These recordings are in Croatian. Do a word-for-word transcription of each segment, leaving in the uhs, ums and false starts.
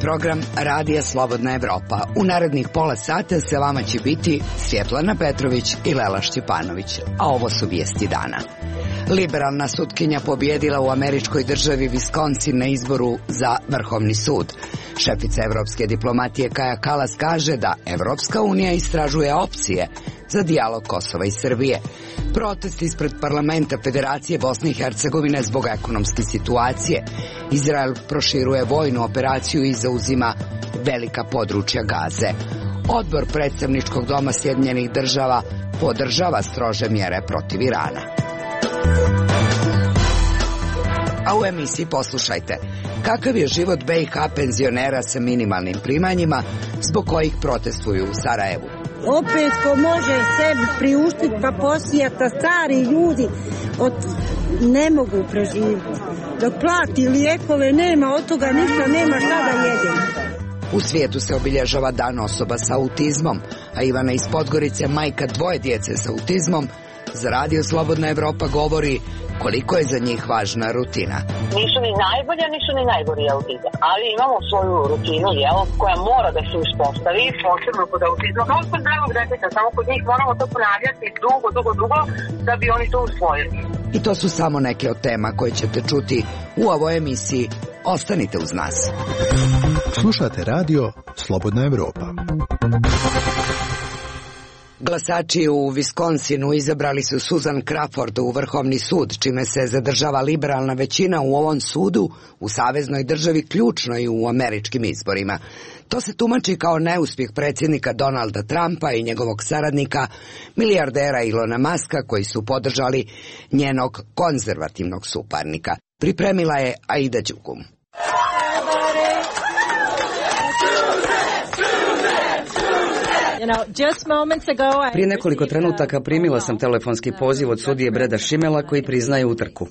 program Radija Slobodna Evropa. U narednih pola sata sa vama će biti Svjetlana Petrović i Lela Šćepanović, a ovo su vijesti dana. Liberalna sutkinja pobjedila u američkoj državi Wisconsin na izboru za Vrhovni sud. Šefica evropske diplomatije Kaja Kalas kaže da Evropska unija istražuje opcije za dijalog Kosova i Srbije. Protest ispred parlamenta Federacije Bosne i Hercegovine zbog ekonomske situacije. Izrael proširuje vojnu operaciju i zauzima velika područja Gaze. Odbor predstavničkog doma Sjedinjenih država podržava strože mjere protiv Irana. A u emisiji poslušajte kakav je život B i H penzionera sa minimalnim primanjima zbog kojih protestuju u Sarajevu. Opet ko može sebi priuštiti pa posijata, stari ljudi od, ne mogu preživjeti. Dok plati lijekove nema, od toga ništa nema šta da jedemo. U svijetu se obilježava dan osoba sa autizmom, a Ivana iz Podgorice, majka dvoje djece sa autizmom, za Radio Slobodna Evropa govori koliko je za njih važna rutina. Nisu ni najbolja, nisu ni najgori autizam, ali imamo svoju rutinu, jel, koja mora da se uspostavi, posebno kod autizma, kao kod zdravog deteta, samo kod njih moramo to ponavljati dugo, dugo, dugo, da bi oni to usvojili. I to su samo neke od tema koje ćete čuti u ovoj emisiji. Ostanite uz nas. Slušate Radio Slobodna Evropa. Glasači u Wisconsinu izabrali su Susan Crawford u Vrhovni sud, čime se zadržava liberalna većina u ovom sudu u saveznoj državi, ključnoj u američkim izborima. To se tumači kao neuspjeh predsjednika Donalda Trumpa i njegovog saradnika, milijardera Ilona Muska, koji su podržali njenog konzervativnog suparnika. Pripremila je Aida Đugum. Prije nekoliko trenutaka primila sam telefonski poziv od sudije Breda Schimela koji priznaje utrku.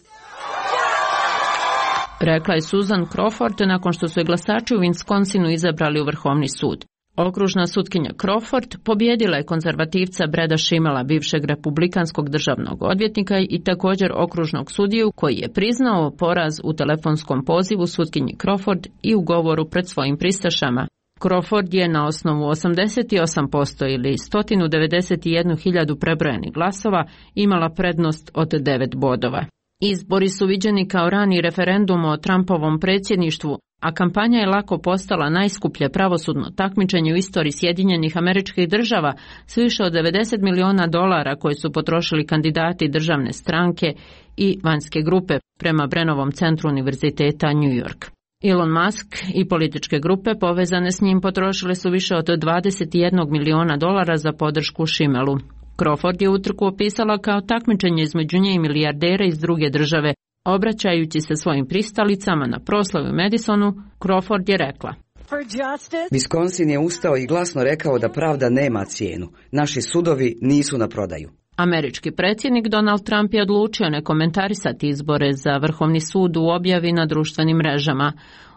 Rekla je Susan Crawford nakon što su je glasači u Wisconsinu izabrali u Vrhovni sud. Okružna sutkinja Crawford pobjedila je konzervativca Breda Schimela, bivšeg republikanskog državnog odvjetnika i također okružnog sudiju koji je priznao poraz u telefonskom pozivu sutkinji Crawford i u govoru pred svojim pristašama. Crawford je na osnovu osamdeset osam posto ili sto devedeset jednu hiljadu prebrojenih glasova imala prednost od devet bodova. Izbori su viđeni kao rani referendum o Trumpovom predsjedništvu, a kampanja je lako postala najskuplje pravosudno takmičenje u istoriji Sjedinjenih Američkih Država s više od devedeset miliona dolara koje su potrošili kandidati državne stranke i vanjske grupe prema Brennovom centru Univerziteta New York. Elon Musk i političke grupe povezane s njim potrošile su više od dvadeset jedan miliona dolara za podršku Schimelu. Crawford je utrku opisala kao takmičenje između nje i milijardera iz druge države. Obraćajući se svojim pristalicama na proslavi u Madisonu, Crawford je rekla: Wisconsin je ustao i glasno rekao da pravda nema cijenu. Naši sudovi nisu na prodaju. Američki predsjednik Donald Trump je odlučio ne komentarisati izbore za Vrhovni sud u objavi na društvenim mrežama.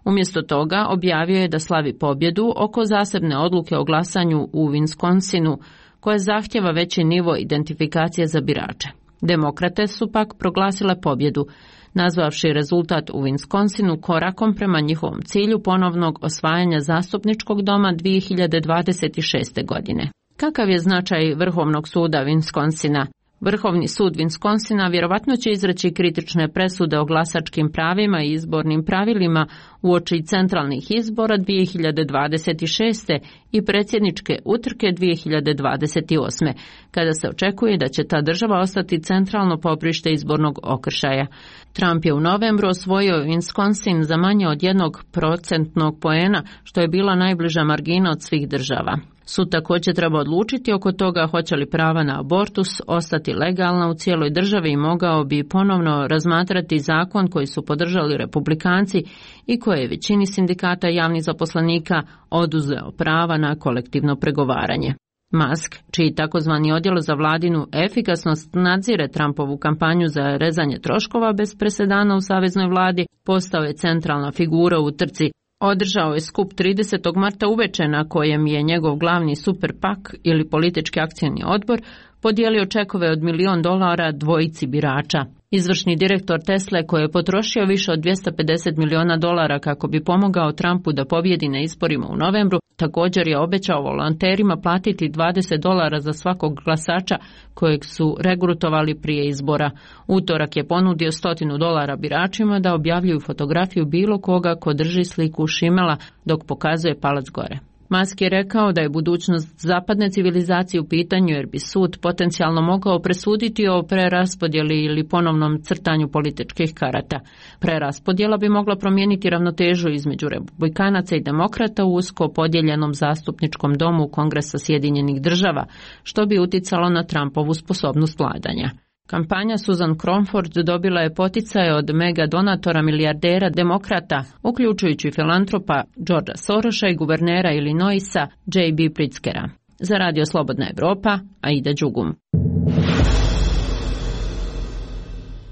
Umjesto toga objavio je da slavi pobjedu oko zasebne odluke o glasanju u Wisconsinu, koja zahtjeva veći nivo identifikacije za birače. Demokrate su pak proglasile pobjedu, nazvavši rezultat u Wisconsinu korakom prema njihovom cilju ponovnog osvajanja zastupničkog doma dvije hiljade dvadeset šeste. godine. Kakav je značaj Vrhovnog suda Wisconsina? Vrhovni sud Wisconsina vjerovatno će izreći kritične presude o glasačkim pravima i izbornim pravilima uoči centralnih izbora dvije hiljade dvadeset šeste. i predsjedničke utrke dvije hiljade dvadeset osme. kada se očekuje da će ta država ostati centralno poprište izbornog okršaja. Trump je u novembru osvojio Wisconsin za manje od jednog procentnog poena, što je bila najbliža margina od svih država. Sud također treba odlučiti oko toga hoće li prava na abortus ostati legalna u cijeloj državi i mogao bi ponovno razmatrati zakon koji su podržali republikanci i koje je većini sindikata javnih zaposlenika oduzeo prava na kolektivno pregovaranje. Musk, čiji takozvani odjel za vladinu efikasnost nadzire Trumpovu kampanju za rezanje troškova bez presedana u saveznoj vladi, postao je centralna figura u trci. Održao je skup tridesetog marta uveče na kojem je njegov glavni super pak ili politički akcijni odbor podijelio čekove od milion dolara dvojici birača. Izvršni direktor Tesle, koji je potrošio više od dvjesto pedeset miliona dolara kako bi pomogao Trumpu da pobjedi na izborima u novembru, također je obećao volonterima platiti dvadeset dolara za svakog glasača kojeg su regrutovali prije izbora. Utorak je ponudio stotinu dolara biračima da objavljuju fotografiju bilo koga ko drži sliku Šimela dok pokazuje palac gore. Musk je rekao da je budućnost zapadne civilizacije u pitanju jer bi sud potencijalno mogao presuditi o preraspodjeli ili ponovnom crtanju političkih karata. Preraspodjela bi mogla promijeniti ravnotežu između republikanaca i demokrata u usko podijeljenom zastupničkom domu Kongresa Sjedinjenih država, što bi uticalo na Trumpovu sposobnost vladanja. Kampanja Susan Cromford dobila je poticaje od mega donatora milijardera demokrata, uključujući filantropa Georgea Sorosa i guvernera Illinoisa J B Pritzkera. Za Radio Slobodna Evropa, Aida Đugum.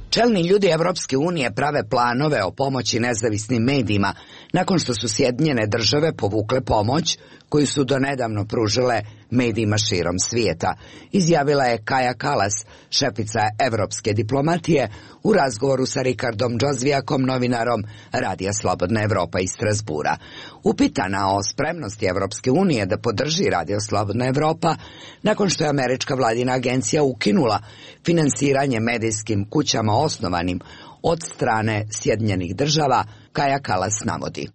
Čelni ljudi Evropske unije prave planove o pomoći nezavisnim medijima nakon što su Sjedinjene države povukle pomoć koju su donedavno pružile medijima širom svijeta, izjavila je Kaja Kallas, šefica evropske diplomatije, u razgovoru sa Rikardom Džozvijakom, novinarom Radija Slobodna Evropa iz Strasbura. Upitana o spremnosti Evropske unije da podrži Radio Slobodna Evropa nakon što je američka vladina agencija ukinula finansiranje medijskim kućama osnovanim od strane Sjedinjenih država, Kaja Kallas navodi.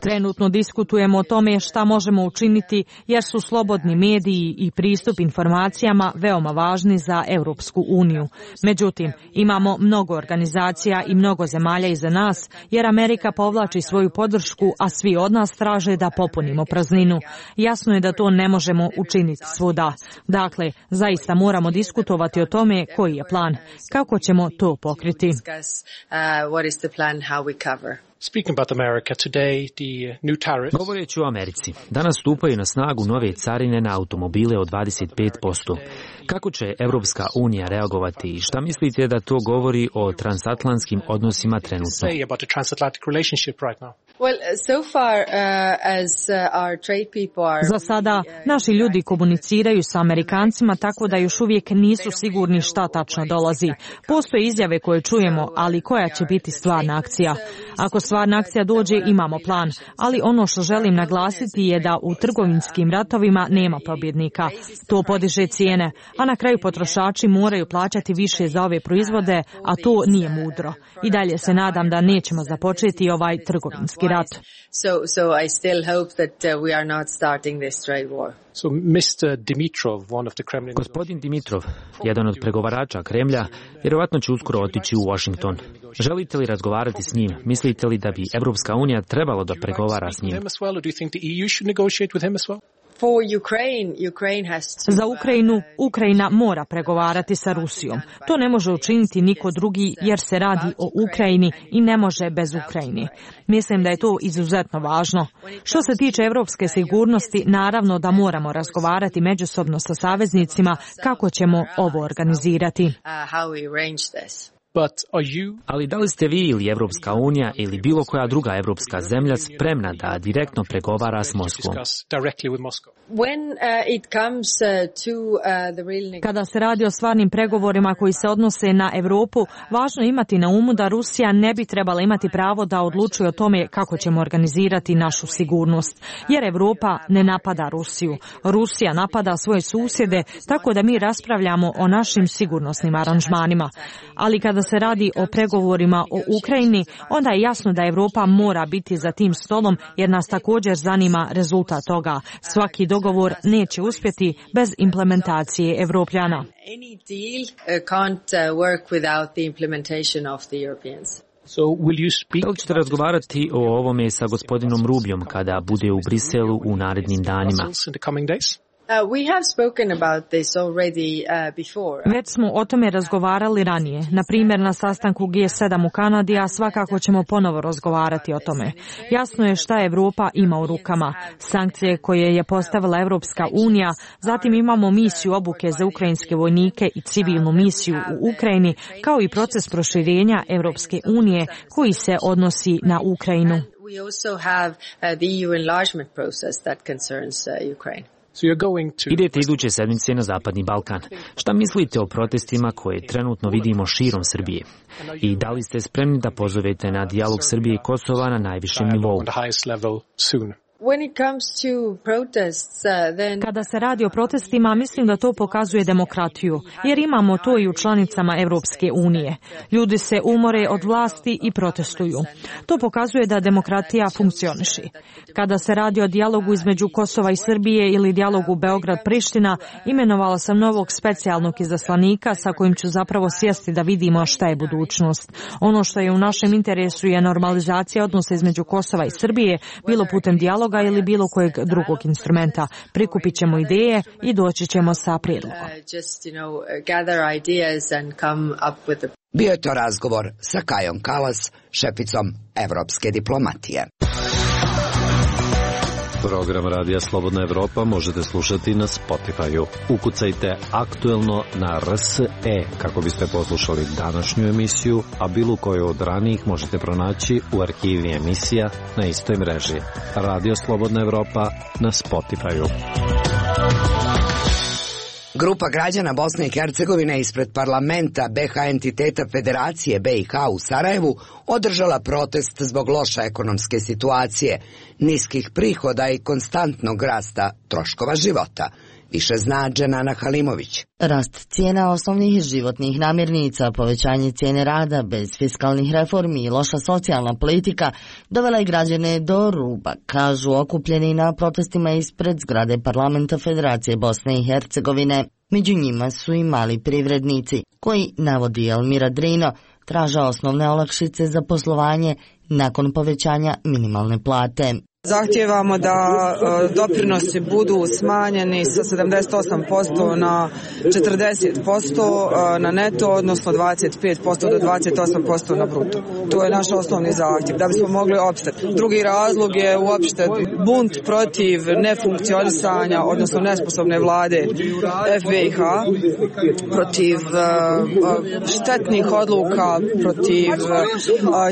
Trenutno diskutujemo o tome šta možemo učiniti jer su slobodni mediji i pristup informacijama veoma važni za Europsku uniju. Međutim, imamo mnogo organizacija i mnogo zemalja iza nas jer Amerika povlači svoju podršku, a svi od nas traže da popunimo prazninu. Jasno je da to ne možemo učiniti svuda. Dakle, zaista moramo diskutovati o tome koji je plan, kako ćemo to pokriti. Govoreći o Americi, danas stupaju na snagu nove carine na automobile od dvadeset pet posto. Kako će Evropska unija reagovati i šta mislite da to govori o transatlantskim odnosima trenutno? Za sada, naši ljudi komuniciraju sa Amerikancima tako da još uvijek nisu sigurni šta tačno dolazi. Postoje izjave koje čujemo, ali koja će biti stvarna akcija? Ako stvarna akcija dođe, imamo plan, ali ono što želim naglasiti je da u trgovinskim ratovima nema pobjednika. To podiže cijene, a na kraju potrošači moraju plaćati više za ove proizvode, a to nije mudro. I dalje se nadam da nećemo započeti ovaj trgovinski rat. Gospodin Dimitrov, jedan od pregovarača Kremlja, vjerovatno će uskoro otići u Washington. Želite li razgovarati s njim? Mislite li da bi Evropska unija trebalo da pregovara s njim? Za Ukrajinu, Ukrajina mora pregovarati sa Rusijom. To ne može učiniti niko drugi jer se radi o Ukrajini i ne može bez Ukrajine. Mislim da je to izuzetno važno. Što se tiče evropske sigurnosti, naravno da moramo razgovarati međusobno sa saveznicima kako ćemo ovo organizirati. Ali da li ste vi ili Evropska unija ili bilo koja druga evropska zemlja spremna da direktno pregovara s Moskvom? Kada se radi o stvarnim pregovorima koji se odnose na Europu, važno je imati na umu da Rusija ne bi trebala imati pravo da odlučuje o tome kako ćemo organizirati našu sigurnost. Jer Europa ne napada Rusiju. Rusija napada svoje susjede, tako da mi raspravljamo o našim sigurnosnim aranžmanima. Ali kada se radi o pregovorima o Ukrajini, onda je jasno da Europa mora biti za tim stolom jer nas također zanima rezultat toga. Svaki dogovor neće uspjeti bez implementacije Evropljana. Da li ćete razgovarati o ovome sa gospodinom Rubijom kada bude u Briselu u narednim danima? Već smo o tome razgovarali ranije, na primjer na sastanku G sedam u Kanadi, a svakako ćemo ponovo razgovarati o tome. Jasno je šta Evropa ima u rukama, sankcije koje je postavila Evropska unija, zatim imamo misiju obuke za ukrajinske vojnike i civilnu misiju u Ukrajini, kao i proces proširenja Evropske unije koji se odnosi na Ukrajinu. Idete iduće sedmice na Zapadni Balkan. Šta mislite o protestima koje trenutno vidimo širom Srbije? I da li ste spremni da pozovete na dijalog Srbije i Kosova na najvišem nivou? Kada se radi o protestima, mislim da to pokazuje demokratiju, jer imamo to i u članicama Evropske unije. Ljudi se umore od vlasti i protestuju. To pokazuje da demokratija funkcioniše. Kada se radi o dijalogu između Kosova i Srbije ili dijalogu Beograd-Priština, imenovala sam novog specijalnog izaslanika sa kojim ću zapravo sjesti da vidimo šta je budućnost. Ono što je u našem interesu je normalizacija odnosa između Kosova i Srbije, bilo putem dijaloga ili bilo kojeg drugog instrumenta. Prikupit ćemo ideje i doći ćemo sa prijedlogom. Bio je to razgovor sa Kajom Kalas, šeficom evropske diplomatije. Program Radija Slobodna Evropa možete slušati na Spotify-u. Ukucajte aktuelno na R S E kako biste poslušali današnju emisiju, a bilo koju od ranijih možete pronaći u arhivi emisija na istoj mreži. Radio Slobodna Evropa na Spotify-u. Grupa građana Bosne i Hercegovine ispred parlamenta B H entiteta Federacije B i H u Sarajevu održala protest zbog loše ekonomske situacije, niskih prihoda i konstantnog rasta troškova života. Više zna Dženana Halimović. Rast cijena osnovnih životnih namirnica, povećanje cijene rada bez fiskalnih reformi i loša socijalna politika dovela je građane do ruba, kažu okupljeni na protestima ispred zgrade parlamenta Federacije Bosne i Hercegovine. Među njima su i mali privrednici, koji, navodi Elmira Drino, traže osnovne olakšice za poslovanje nakon povećanja minimalne plate. Zahtijevamo da doprinosi budu smanjeni sa sedamdeset osam posto na četrdeset posto na neto, odnosno dvadeset pet posto do dvadeset osam posto na bruto. To je naš osnovni zahtjev, da bismo mogli opstati. Drugi razlog je uopšte bunt protiv nefunkcionisanja, odnosno nesposobne vlade F B i H, protiv štetnih odluka, protiv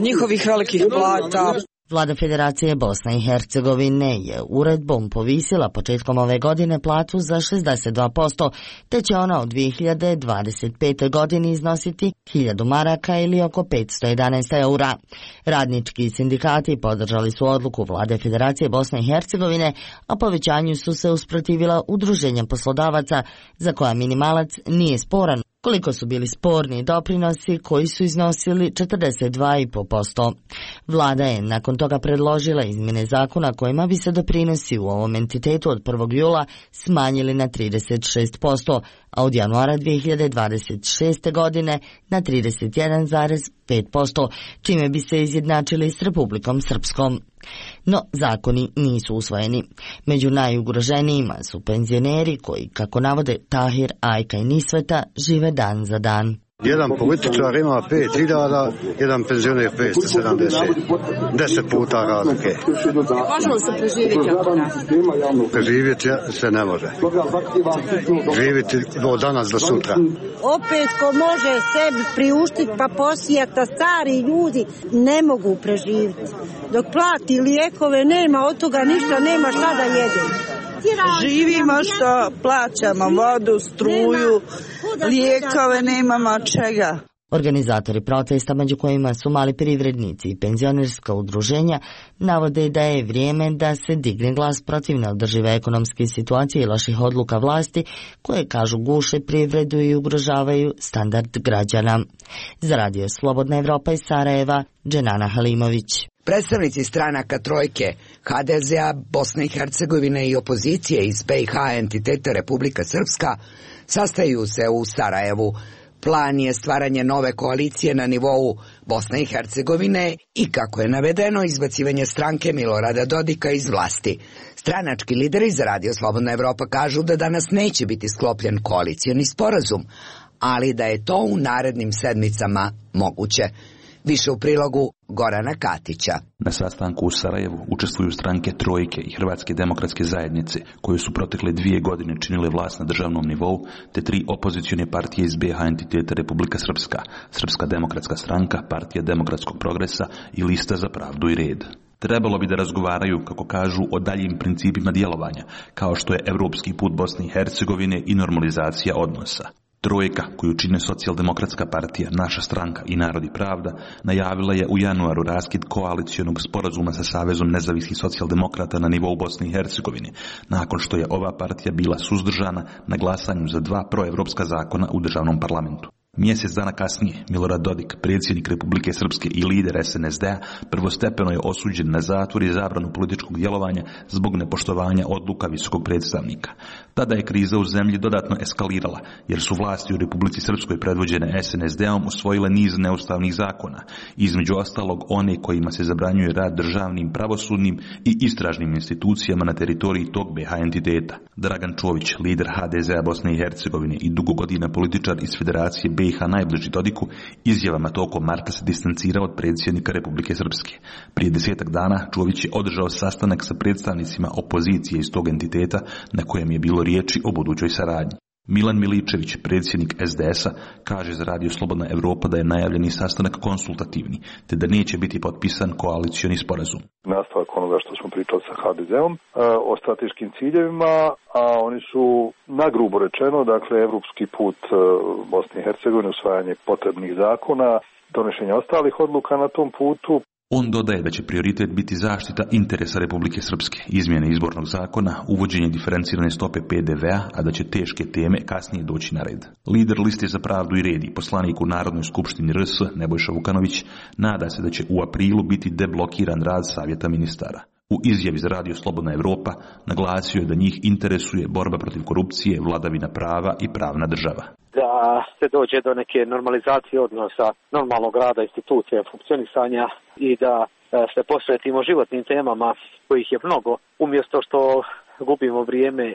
njihovih velikih plata. Vlada Federacije Bosne i Hercegovine je uredbom povisila početkom ove godine platu za šezdeset dva posto, te će ona u dvije hiljade dvadeset pete. godini iznositi hiljadu maraka ili oko petsto jedanaest eura. Radnički sindikati podržali su odluku Vlade Federacije Bosne i Hercegovine, a povećanju su se usprotivila udruženja poslodavaca za koja minimalac nije sporan, koliko su bili sporni doprinosi koji su iznosili četrdeset dva zarez pet posto. Vlada je nakon toga predložila izmjene zakona kojima bi se doprinosi u ovom entitetu od prvog jula smanjili na trideset šest posto, a od januara dvije hiljade dvadeset šeste. godine na trideset jedan zarez pet posto, čime bi se izjednačili s Republikom Srpskom. No, zakoni nisu usvojeni. Među najugroženijima su penzioneri koji, kako navode Tahir, Ajka i Nisveta, žive dan za dan. Jedan političar ima pet hiljada, jedan penzioner petsto sedamdeset. Deset puta razlike. Možemo se preživjeti od toga? Preživjeti se ne može. Živjeti do danas do sutra. Opet ko može sebi priuštiti pa posijati, a stari ljudi ne mogu preživjeti. Dok plati lijekove nema, od toga ništa nema šta da jede. Živimo što plaćamo vodu, struju, lijekove, nemamo čega. Organizatori protesta, među kojima su mali privrednici i penzionerska udruženja, navode da je vrijeme da se digne glas protiv neodržive ekonomske situacije i loših odluka vlasti, koje, kažu, guše privredu i ugrožavaju standard građana. Za Radio Slobodna Evropa iz Sarajeva, Dženana Halimović. Predstavnici stranaka Trojke, H D Z-a, Bosne i Hercegovine i opozicije iz B i H entiteta Republika Srpska sastaju se u Sarajevu. Plan je stvaranje nove koalicije na nivou Bosne i Hercegovine i, kako je navedeno, izbacivanje stranke Milorada Dodika iz vlasti. Stranački lideri za Radio Slobodna Evropa kažu da danas neće biti sklopljen koalicioni sporazum, ali da je to u narednim sedmicama moguće. Više u prilogu Gorana Katića. Na sastanku u Sarajevu učestvuju stranke Trojke i Hrvatske demokratske zajednice, koje su protekle dvije godine činile vlast na državnom nivou, te tri opozicione partije iz B H entiteta Republika Srpska, Srpska demokratska stranka, Partija demokratskog progresa i Lista za pravdu i red. Trebalo bi da razgovaraju, kako kažu, o daljim principima djelovanja, kao što je evropski put Bosne i Hercegovine i normalizacija odnosa. Trojka, koju čine Socijaldemokratska partija, Naša stranka i Narod i pravda, najavila je u januaru raskid koalicijonog sporazuma sa Savezom nezavisnih socijaldemokrata na nivou Bosne i Hercegovine, nakon što je ova partija bila suzdržana na glasanju za dva proevropska zakona u državnom parlamentu. Mjesec dana kasnije, Milorad Dodik, predsjednik Republike Srpske i lider es en es de a, prvostepeno je osuđen na zatvor i zabranu političkog djelovanja zbog nepoštovanja odluka visokog predstavnika. Tada je kriza u zemlji dodatno eskalirala, jer su vlasti u Republici Srpskoj predvođene es en es de om usvojile niz neustavnih zakona, između ostalog one kojima se zabranjuje rad državnim, pravosudnim i istražnim institucijama na teritoriji tog be ha entiteta. Dragan Čović, lider ha de ze a Bosne i Hercegovine i dugo godina političar iz Federacije be i ha najbliži Dodiku, izjavama tokom marta se distancirao od predsjednika Republike Srpske. Prije desetak dana Čović je održao sastanak sa predstavnicima opozicije iz tog entiteta, na kojem je bilo riječi o budućoj saradnji. Milan Miličević, predsjednik es de es a, kaže za Radio Slobodna Evropa da je najavljeni sastanak konsultativni, te da neće biti potpisan koalicioni sporazum. Nastavak onoga što smo pričali sa ha de ze om o strateškim ciljevima, a oni su nagrubo rečeno, dakle, evropski put Bosne i Hercegovine, usvajanje potrebnih zakona, donošenje ostalih odluka na tom putu. On dodaje da će prioritet biti zaštita interesa Republike Srpske, izmjene izbornog zakona, uvođenje diferencirane stope pe de ve a, a da će teške teme kasnije doći na red. Lider Liste za pravdu i red i poslanik u Narodnoj skupštini er es, Nebojša Vukanović, nada se da će u aprilu biti deblokiran rad Savjeta ministara. U izjavi za Radio Slobodna Evropa naglasio je da njih interesuje borba protiv korupcije, vladavina prava i pravna država. Da se dođe do neke normalizacije odnosa, normalnog rada institucija, funkcionisanja i da se posvetimo životnim temama kojih je mnogo, umjesto što gubimo vrijeme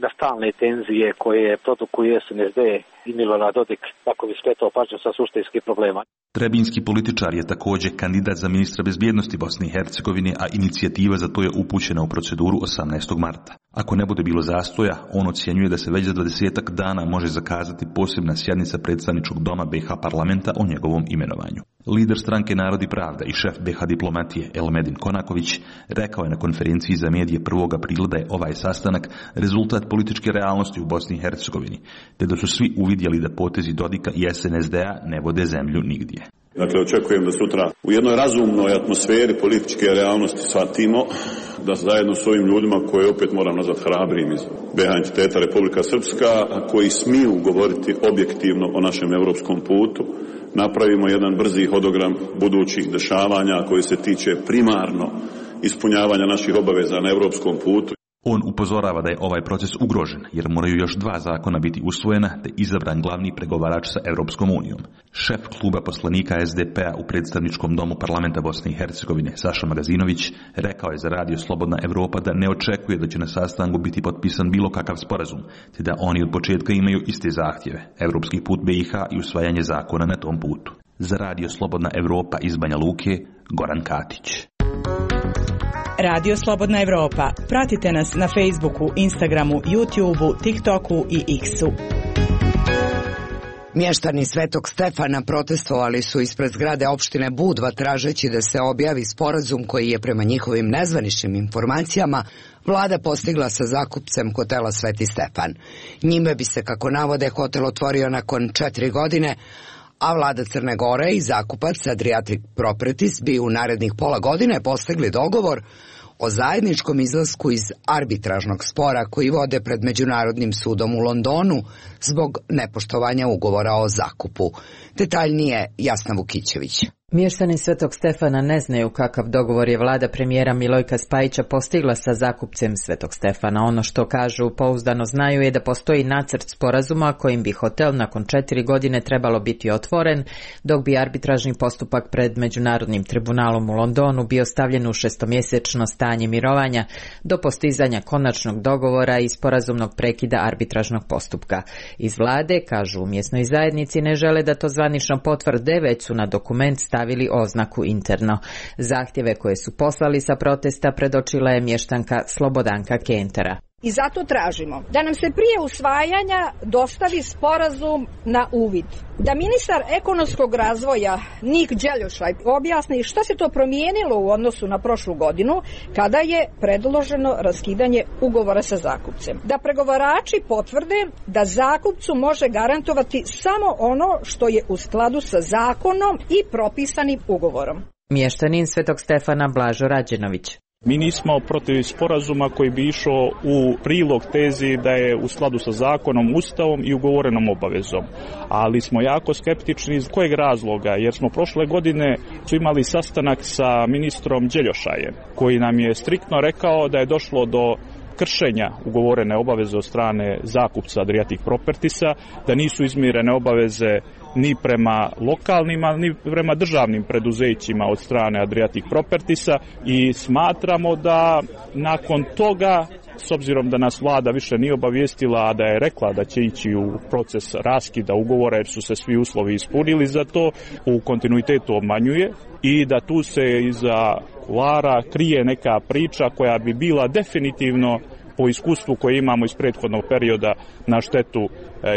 na stalne tenzije koje produkuje es en es de i Milorad Dodik, kako bi skretao pažnju sa suštinskih problema. Trebinski političar je također kandidat za ministra bezbjednosti Bosne i Hercegovine, a inicijativa za to je upućena u proceduru osamnaestog marta. Ako ne bude bilo zastoja, on ocjenjuje da se već za dvadesetak dana može zakazati posebna sjednica predstavničkog doma be ha parlamenta o njegovom imenovanju. Lider stranke Narod i pravda i šef be ha diplomatije Elmedin Konaković rekao je na konferenciji za medije prvog aprila da je ovaj sastanak rezultat političke realnosti u Bosni i Hercegovini, te da su svi uvidjeli da potezi Dodika i es en es de a ne vode zemlju nigdje. Dakle, očekujem da sutra u jednoj razumnoj atmosferi političke realnosti shvatimo da zajedno s ovim ljudima koje opet moram nazvati hrabrim iz be ha entiteta Republika Srpska, koji smiju govoriti objektivno o našem europskom putu, napravimo jedan brzi hodogram budućih dešavanja koji se tiče primarno ispunjavanja naših obaveza na europskom putu. On upozorava da je ovaj proces ugrožen, jer moraju još dva zakona biti usvojena, te izabran glavni pregovarač sa Europskom unijom. Šef kluba poslanika es de pe a u predstavničkom domu parlamenta Bosne i Hercegovine, Saša Magazinović, rekao je za Radio Slobodna Evropa da ne očekuje da će na sastanku biti potpisan bilo kakav sporazum, te da oni od početka imaju iste zahtjeve, europski put be i ha i usvajanje zakona na tom putu. Za Radio Slobodna Evropa iz Banja Luke, Goran Katić. Radio Slobodna Evropa. Pratite nas na Facebooku, Instagramu, YouTubeu, TikToku i X-u. Mještani Svetog Stefana protestovali su ispred zgrade opštine Budva tražeći da se objavi sporazum koji je prema njihovim nezvaničnim informacijama vlada postigla sa zakupcem hotela Sveti Stefan. Njime bi se, kako navode, hotel otvorio nakon četiri godine, a vlada Crne Gore i zakupac Adriatic Properties bi u narednih pola godine postigli dogovor o zajedničkom izlasku iz arbitražnog spora koji vode pred Međunarodnim sudom u Londonu zbog nepoštovanja ugovora o zakupu. Detaljnije Jasna Vukićević. Mještani Svetog Stefana ne znaju kakav dogovor je vlada premijera Milojka Spajića postigla sa zakupcem Svetog Stefana. Ono što kažu pouzdano znaju je da postoji nacrt sporazuma kojim bi hotel nakon četiri godine trebalo biti otvoren, dok bi arbitražni postupak pred Međunarodnim tribunalom u Londonu bio stavljen u šestomjesečno stanje mirovanja do postizanja konačnog dogovora i sporazumnog prekida arbitražnog postupka. Iz vlade, kažu u mjesnoj zajednici, ne žele da to zvanično potvrde, već su na dokument stavili oznaku interno. Zahtjeve koje su poslali sa protesta predočila je mještanka Slobodanka Kentera. I zato tražimo da nam se prije usvajanja dostavi sporazum na uvid. Da ministar ekonomskog razvoja Nik Đeljošaj objasni šta se to promijenilo u odnosu na prošlu godinu kada je predloženo raskidanje ugovora sa zakupcem. Da pregovarači potvrde da zakupcu može garantovati samo ono što je u skladu sa zakonom i propisanim ugovorom. Mještanin Svetog Stefana Blažo Rađenović. Mi nismo protiv sporazuma koji bi išao u prilog tezi da je u skladu sa zakonom, ustavom i ugovorenom obavezom. Ali smo jako skeptični iz kojeg razloga, jer smo prošle godine su imali sastanak sa ministrom Đeljošajem, koji nam je striktno rekao da je došlo do kršenja ugovorene obaveze od strane zakupca Adriatic Propertiesa, da nisu izmirene obaveze ni prema lokalnima, ni prema državnim preduzećima od strane Adriatic Propertiesa i smatramo da nakon toga, s obzirom da nas vlada više nije obavijestila, a da je rekla da će ići u proces raskida ugovora jer su se svi uslovi ispunili za to, u kontinuitetu obmanjuje i da tu se iza kulara krije neka priča koja bi bila definitivno po iskustvu koje imamo iz prethodnog perioda na štetu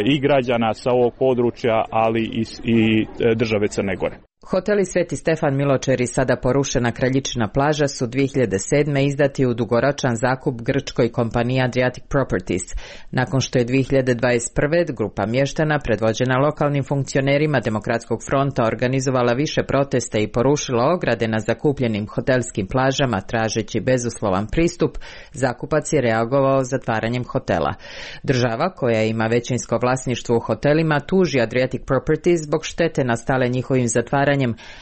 i građana sa ovog područja, ali i, i države Crne Gore. Hoteli Sveti Stefan Miločer i sada porušena Kraljičina plaža su dvije hiljade sedme izdati u dugoročan zakup grčkoj kompaniji Adriatic Properties, nakon što je dvije hiljade dvadeset prve grupa mještana predvođena lokalnim funkcionerima Demokratskog fronta organizovala više protesta i porušila ograde na zakupljenim hotelskim plažama tražeći bezuslovan pristup. Zakupac je reagovao zatvaranjem hotela. Država, koja ima većinsko vlasništvo u hotelima, tuži Adriatic Properties zbog štete nastale njihovim zatvaranjem,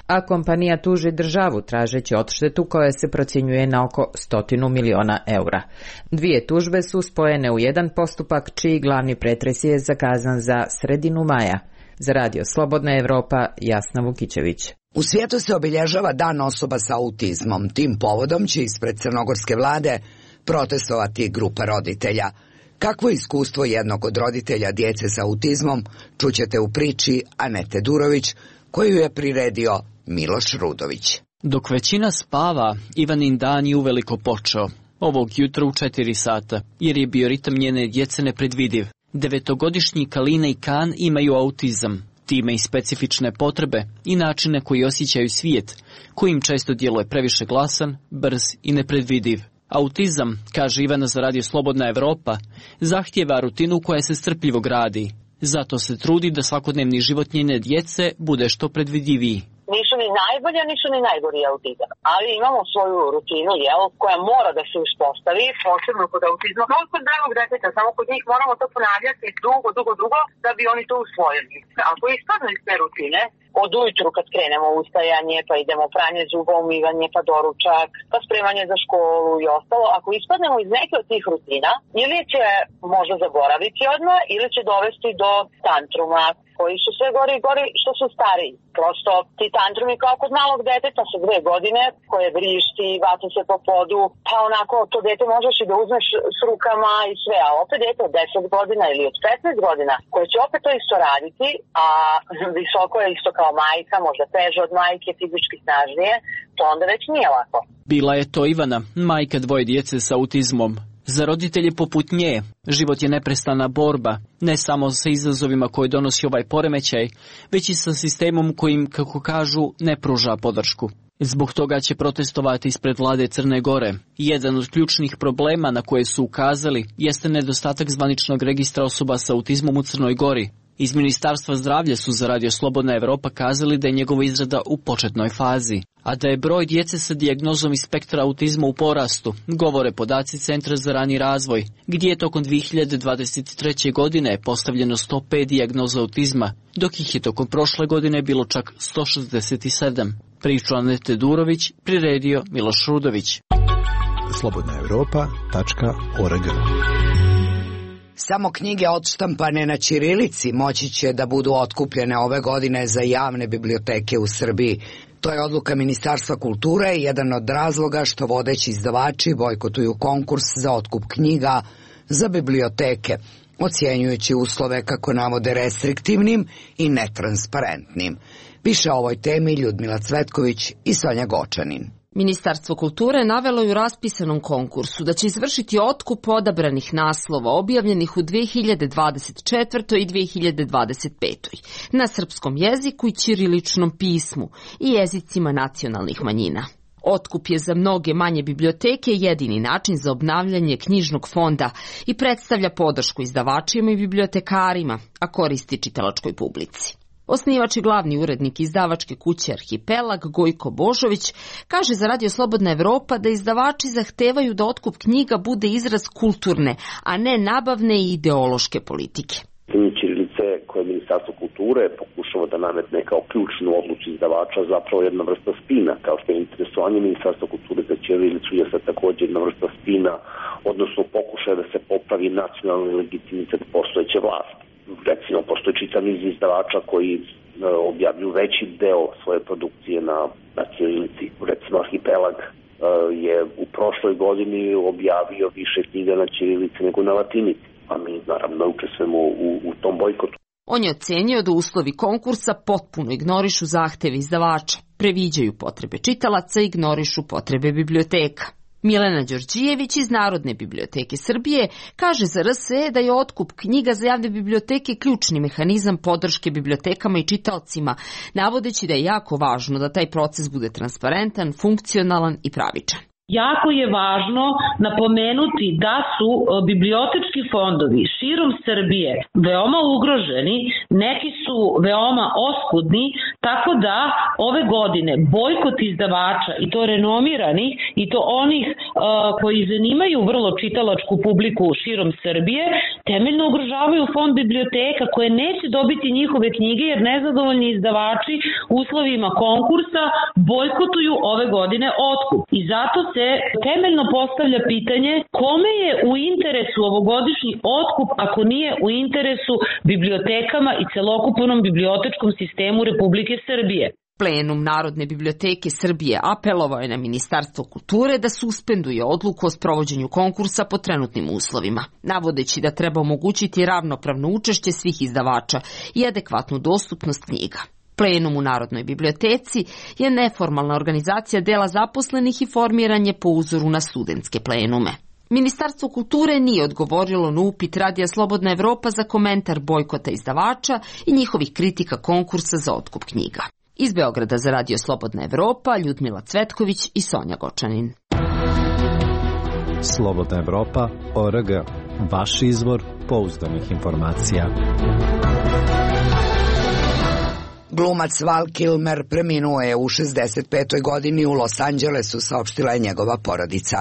a kompanija tuži državu tražeći odštetu koja se procjenjuje na oko stotinu miliona eura. Dvije tužbe su spojene u jedan postupak čiji glavni pretres je zakazan za sredinu maja. Za Radio Slobodna Evropa, Jasna Vukićević. U svijetu se obilježava Dan osoba sa autizmom. Tim povodom će ispred crnogorske vlade protestovati grupa roditelja. Kakvo je iskustvo jednog od roditelja djece sa autizmom, čućete u priči Anete Durović, koju je priredio Miloš Rudović. Dok većina spava, Ivanin dan je uveliko počeo. Ovog jutra u četiri sata, jer je bio ritam njene djece nepredvidiv. Devetogodišnji Kalina i Kan imaju autizam, time i specifične potrebe i načine koji osjećaju svijet, koji im često djeluje previše glasan, brz i nepredvidiv. Autizam, kaže Ivana za Radio Slobodna Evropa, zahtijeva rutinu koja se strpljivo gradi. Zato se trudi da svakodnevni život njene djece bude što predvidiviji. Nisu ni najbolja, nisu ni najgori autizam, ali imamo svoju rutinu, jel, koja mora da se uspostavi, posebno kod autizma, kao kod dragog deteta, samo kod njih moramo to ponavljati dugo, dugo, dugo, da bi oni to usvojili. Ako ispadne iz te rutine, od ujutru kad krenemo ustajanje, pa idemo pranje zuba, umivanje, pa doručak, pa spremanje za školu i ostalo, ako ispadnemo iz neke od tih rutina, ili će možda zaboraviti odmah, ili će dovesti do tantruma, koji su sve gori i gori što su stariji. Prosto ti tantrumi kao kod malog deteta sa dve godine, koje vrišti, vaca se po podu, pa onako to dete možeš i da uzmeš s rukama i sve, a opet dete od deset godina ili od petnaest godina, koje će opet to isto raditi, a visoko je isto kao majka, možda teže od majke, fizički snažnije, to onda već nije lako. Bila je to Ivana, majka dvoje djece sa autizmom. Za roditelje poput nje, život je neprestana borba, ne samo sa izazovima koje donosi ovaj poremećaj, već i sa sistemom kojim, kako kažu, ne pruža podršku. Zbog toga će protestovati ispred vlade Crne Gore. Jedan od ključnih problema na koje su ukazali jeste nedostatak zvaničnog registra osoba sa autizmom u Crnoj Gori. Iz Ministarstva zdravlja su za Radio Slobodna Evropa kazali da je njegova izrada u početnoj fazi, a da je broj djece sa dijagnozom iz spektra autizma u porastu, govore podaci Centra za rani razvoj, gdje je tokom dvije hiljade dvadeset treće. godine postavljeno sto pet dijagnoza autizma, dok ih je tokom prošle godine bilo čak sto šezdeset sedam. Priču Anete Durović priredio Miloš Rudović. slobodna evropa tačka org. Samo knjige odštampane na ćirilici moći će da budu otkupljene ove godine za javne biblioteke u Srbiji. To je odluka Ministarstva kulture i jedan od razloga što vodeći izdavači bojkotuju konkurs za otkup knjiga za biblioteke, ocjenjujući uslove, kako navode, restriktivnim i netransparentnim. Piše o ovoj temi Ljudmila Cvetković i Sonja Gočanin. Ministarstvo kulture navelo je u raspisanom konkursu da će izvršiti otkup odabranih naslova objavljenih u dve hiljade dvadeset četvrtoj i dve hiljade dvadeset petoj na srpskom jeziku i ćiriličnom pismu i jezicima nacionalnih manjina. Otkup je za mnoge manje biblioteke jedini način za obnavljanje knjižnog fonda i predstavlja podršku izdavačima i bibliotekarima, a koristi čitalačkoj publici. Osnivač i glavni urednik izdavačke kuće Arhipelag, Gojko Božović, kaže za Radio Slobodna Evropa da izdavači zahtevaju da otkup knjiga bude izraz kulturne, a ne nabavne i ideološke politike. Ćirilice koje Ministarstvo kulture pokušava da nametne kao ključnu odluku izdavača zapravo jedna vrsta spina, kao što je interesovanje Ministarstva kulture za ćirilicu je sad također jedna vrsta spina, odnosno pokušaja da se popravi nacionalni legitimitet postojeće vlasti. Recimo, postoji čitav niz izdavača koji e, objavljuju veći deo svoje produkcije na, na ćirilici. Recimo, Arhipelag e, je u prošloj godini objavio više knjiga na ćirilici nego na latinici, a mi naravno učestvujemo u, u tom bojkotu. On je ocenio da uslovi konkursa potpuno ignorišu zahteve izdavača, previđaju potrebe čitalaca i ignorišu potrebe biblioteka. Milena Đorđijević iz Narodne biblioteke Srbije kaže za R S E da je otkup knjiga za javne biblioteke ključni mehanizam podrške bibliotekama i čitaocima, navodeći da je jako važno da taj proces bude transparentan, funkcionalan i pravičan. Jako je važno napomenuti da su bibliotečki fondovi širom Srbije veoma ugroženi, neki su veoma oskudni, tako da ove godine bojkot izdavača, i to renomiranih, i to onih uh, koji zanimaju vrlo čitalačku publiku širom Srbije, temeljno ugrožavaju fond biblioteka koje neće dobiti njihove knjige jer nezadovoljni izdavači uslovima konkursa bojkotuju ove godine otkup. I zato se temeljno postavlja pitanje kome je u interesu ovogodišnji otkup ako nije u interesu bibliotekama i celokupnom bibliotečkom sistemu Republike Srbije. Plenum Narodne biblioteke Srbije apelovao je na Ministarstvo kulture da suspenduje odluku o sprovođenju konkursa po trenutnim uslovima, navodeći da treba omogućiti ravnopravno učešće svih izdavača i adekvatnu dostupnost knjiga. Plenum u Narodnoj biblioteci je neformalna organizacija dela zaposlenih i formiran je po uzoru na studentske plenume. Ministarstvo kulture nije odgovorilo na upit Radija Slobodna Evropa za komentar bojkota izdavača i njihovih kritika konkursa za otkup knjiga. Iz Beograda za Radio Slobodna Evropa, Ljudmila Cvetković i Sonja Gočanin. Slobodna Evropa, O R G, vaš izvor pouzdanih informacija. Glumac Val Kilmer preminuo je u šezdeset petoj godini u Los Angelesu, saopštila je njegova porodica.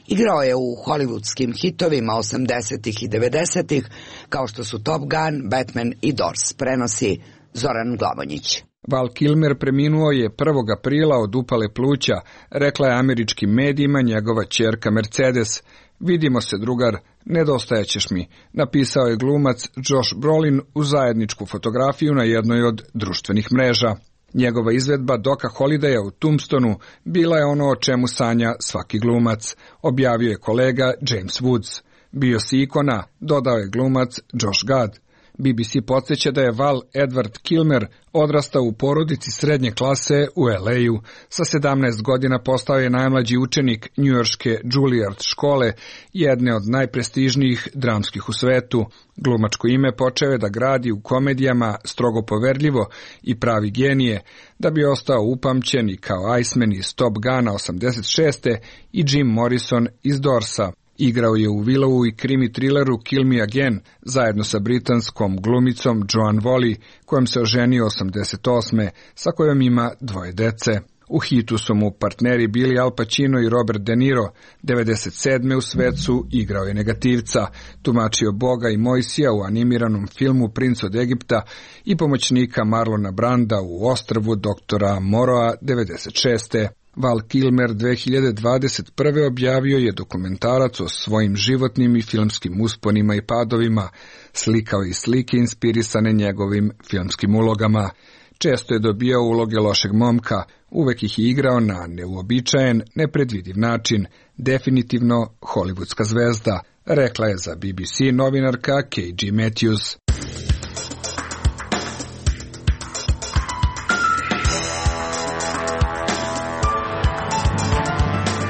Igrao je u hollywoodskim hitovima osamdesetih i devedesetih, kao što su Top Gun, Batman i Doors, prenosi Zoran Glavonjić. Val Kilmer preminuo je prvog aprila od upale pluća, rekla je američkim medijima njegova ćerka Mercedes. Vidimo se, drugar, nedostajećeš mi, napisao je glumac Josh Brolin u zajedničku fotografiju na jednoj od društvenih mreža. Njegova izvedba Doka Holidaya u Tombstonu bila je ono o čemu sanja svaki glumac, objavio je kolega James Woods. Bio si ikona, dodao je glumac Josh Gad. B B C podsjeća da je Val Edward Kilmer odrastao u porodici srednje klase u L A-u. Sa sedamnaest godina postao je najmlađi učenik njujorške Juilliard škole, jedne od najprestižnijih dramskih u svetu. Glumačko ime počeo je da gradi u komedijama strogo poverljivo i pravi genije, da bi ostao upamćen i kao Iceman iz Top Guna osamdeset šeste i Jim Morrison iz Doorsa. Igrao je u Willowu i krimi trileru Kill Me Again zajedno sa britanskom glumicom Joan Wally, kojom se oženio osamdeset osme, sa kojom ima dvoje dece. U hitu su mu partneri Billy Al Pacino i Robert De Niro. devedeset sedme u svecu igrao je negativca, tumačio Boga i Mojsija u animiranom filmu Princ od Egipta i pomoćnika Marlona Branda u Ostrvu doktora Moroa devedeset šeste. Val Kilmer dve hiljade dvadeset prve objavio je dokumentarac o svojim životnim i filmskim usponima i padovima, slikao i slike inspirisane njegovim filmskim ulogama. Često je dobijao uloge lošeg momka, uvek ih je igrao na neuobičajen, nepredvidiv način, definitivno hollywoodska zvezda, rekla je za B B C novinarka K G Matthews.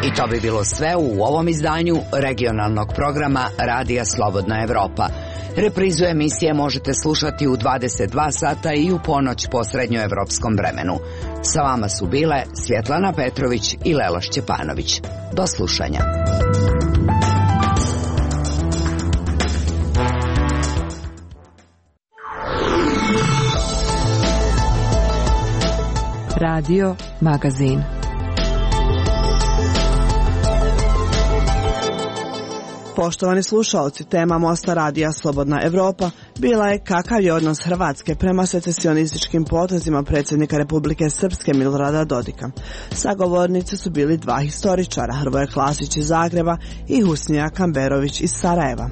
I to bi bilo sve u ovom izdanju regionalnog programa Radija Slobodna Evropa. Reprizu emisije možete slušati u dvadeset dva sata i u ponoć po srednjoevropskom vremenu. Sa vama su bile Svjetlana Petrović i Lela Šćepanović. Do slušanja. Radio Magazin. Poštovani slušalci, tema Mosta Radija Slobodna Evropa bila je kakav je odnos Hrvatske prema secesionističkim potezima predsjednika Republike Srpske Milorada Dodika. Sagovornici su bili dva historičara, Hrvoje Klasić iz Zagreba i Husnija Kamberović iz Sarajeva.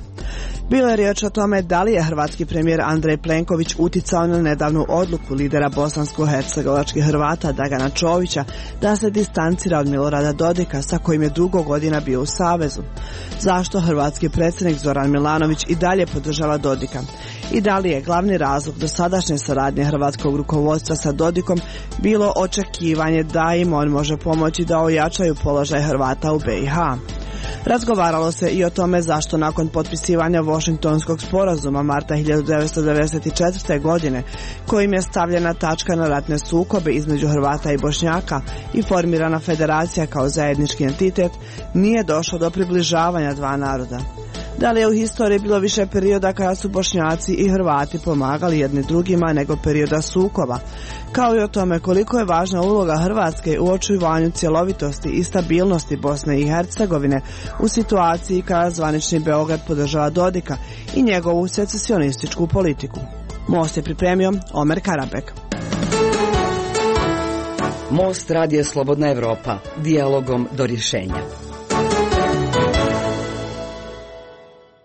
Bilo je riječ o tome da li je hrvatski premijer Andrej Plenković uticao na nedavnu odluku lidera bosansko-hercegovačkih Hrvata Dragana Čovića da se distancira od Milorada Dodika sa kojim je dugo godina bio u savezu. Zašto hrvatski predsjednik Zoran Milanović i dalje podržava Dodika? I da li je glavni razlog dosadašnje saradnje hrvatskog rukovodstva sa Dodikom bilo očekivanje da im on može pomoći da ojačaju položaj Hrvata u be i ha? Razgovaralo se i o tome zašto nakon potpisivanja Washingtonskog sporazuma marta hiljadu devetsto devedeset četvrte. godine, kojim je stavljena tačka na ratne sukobe između Hrvata i Bošnjaka i formirana federacija kao zajednički entitet, nije došlo do približavanja dva naroda. Da li je u historiji bilo više perioda kada su Bošnjaci i Hrvati pomagali jedni drugima nego perioda sukoba, kao i o tome koliko je važna uloga Hrvatske u očuvanju cjelovitosti i stabilnosti Bosne i Hercegovine u situaciji kada zvanični Beograd podržava Dodika i njegovu secesionističku politiku. Most je pripremio Omer Karabek. Most Radija Slobodna Evropa, dijalogom do rješenja.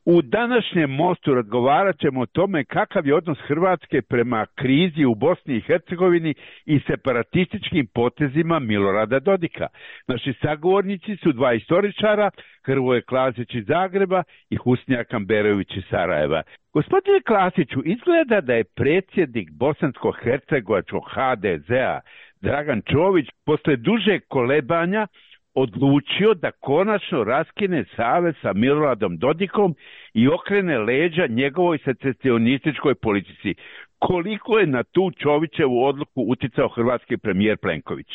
U današnjem mostu razgovarat ćemo o tome kakav je odnos Hrvatske prema krizi u Bosni i Hercegovini i separatističkim potezima Milorada Dodika. Naši sagovornici su dva istoričara, Hrvoje Klasić iz Zagreba i Husnija Kamberović iz Sarajeva. Gospodine Klasiću, izgleda da je predsjednik bosansko-hercegovačkog ha de zea Dragan Čović posle duže kolebanja odlučio da konačno raskine savez sa Miloradom Dodikom i okrene leđa njegovoj secesionističkoj politici. Koliko je na tu Čovićevu odluku uticao hrvatski premijer Plenković?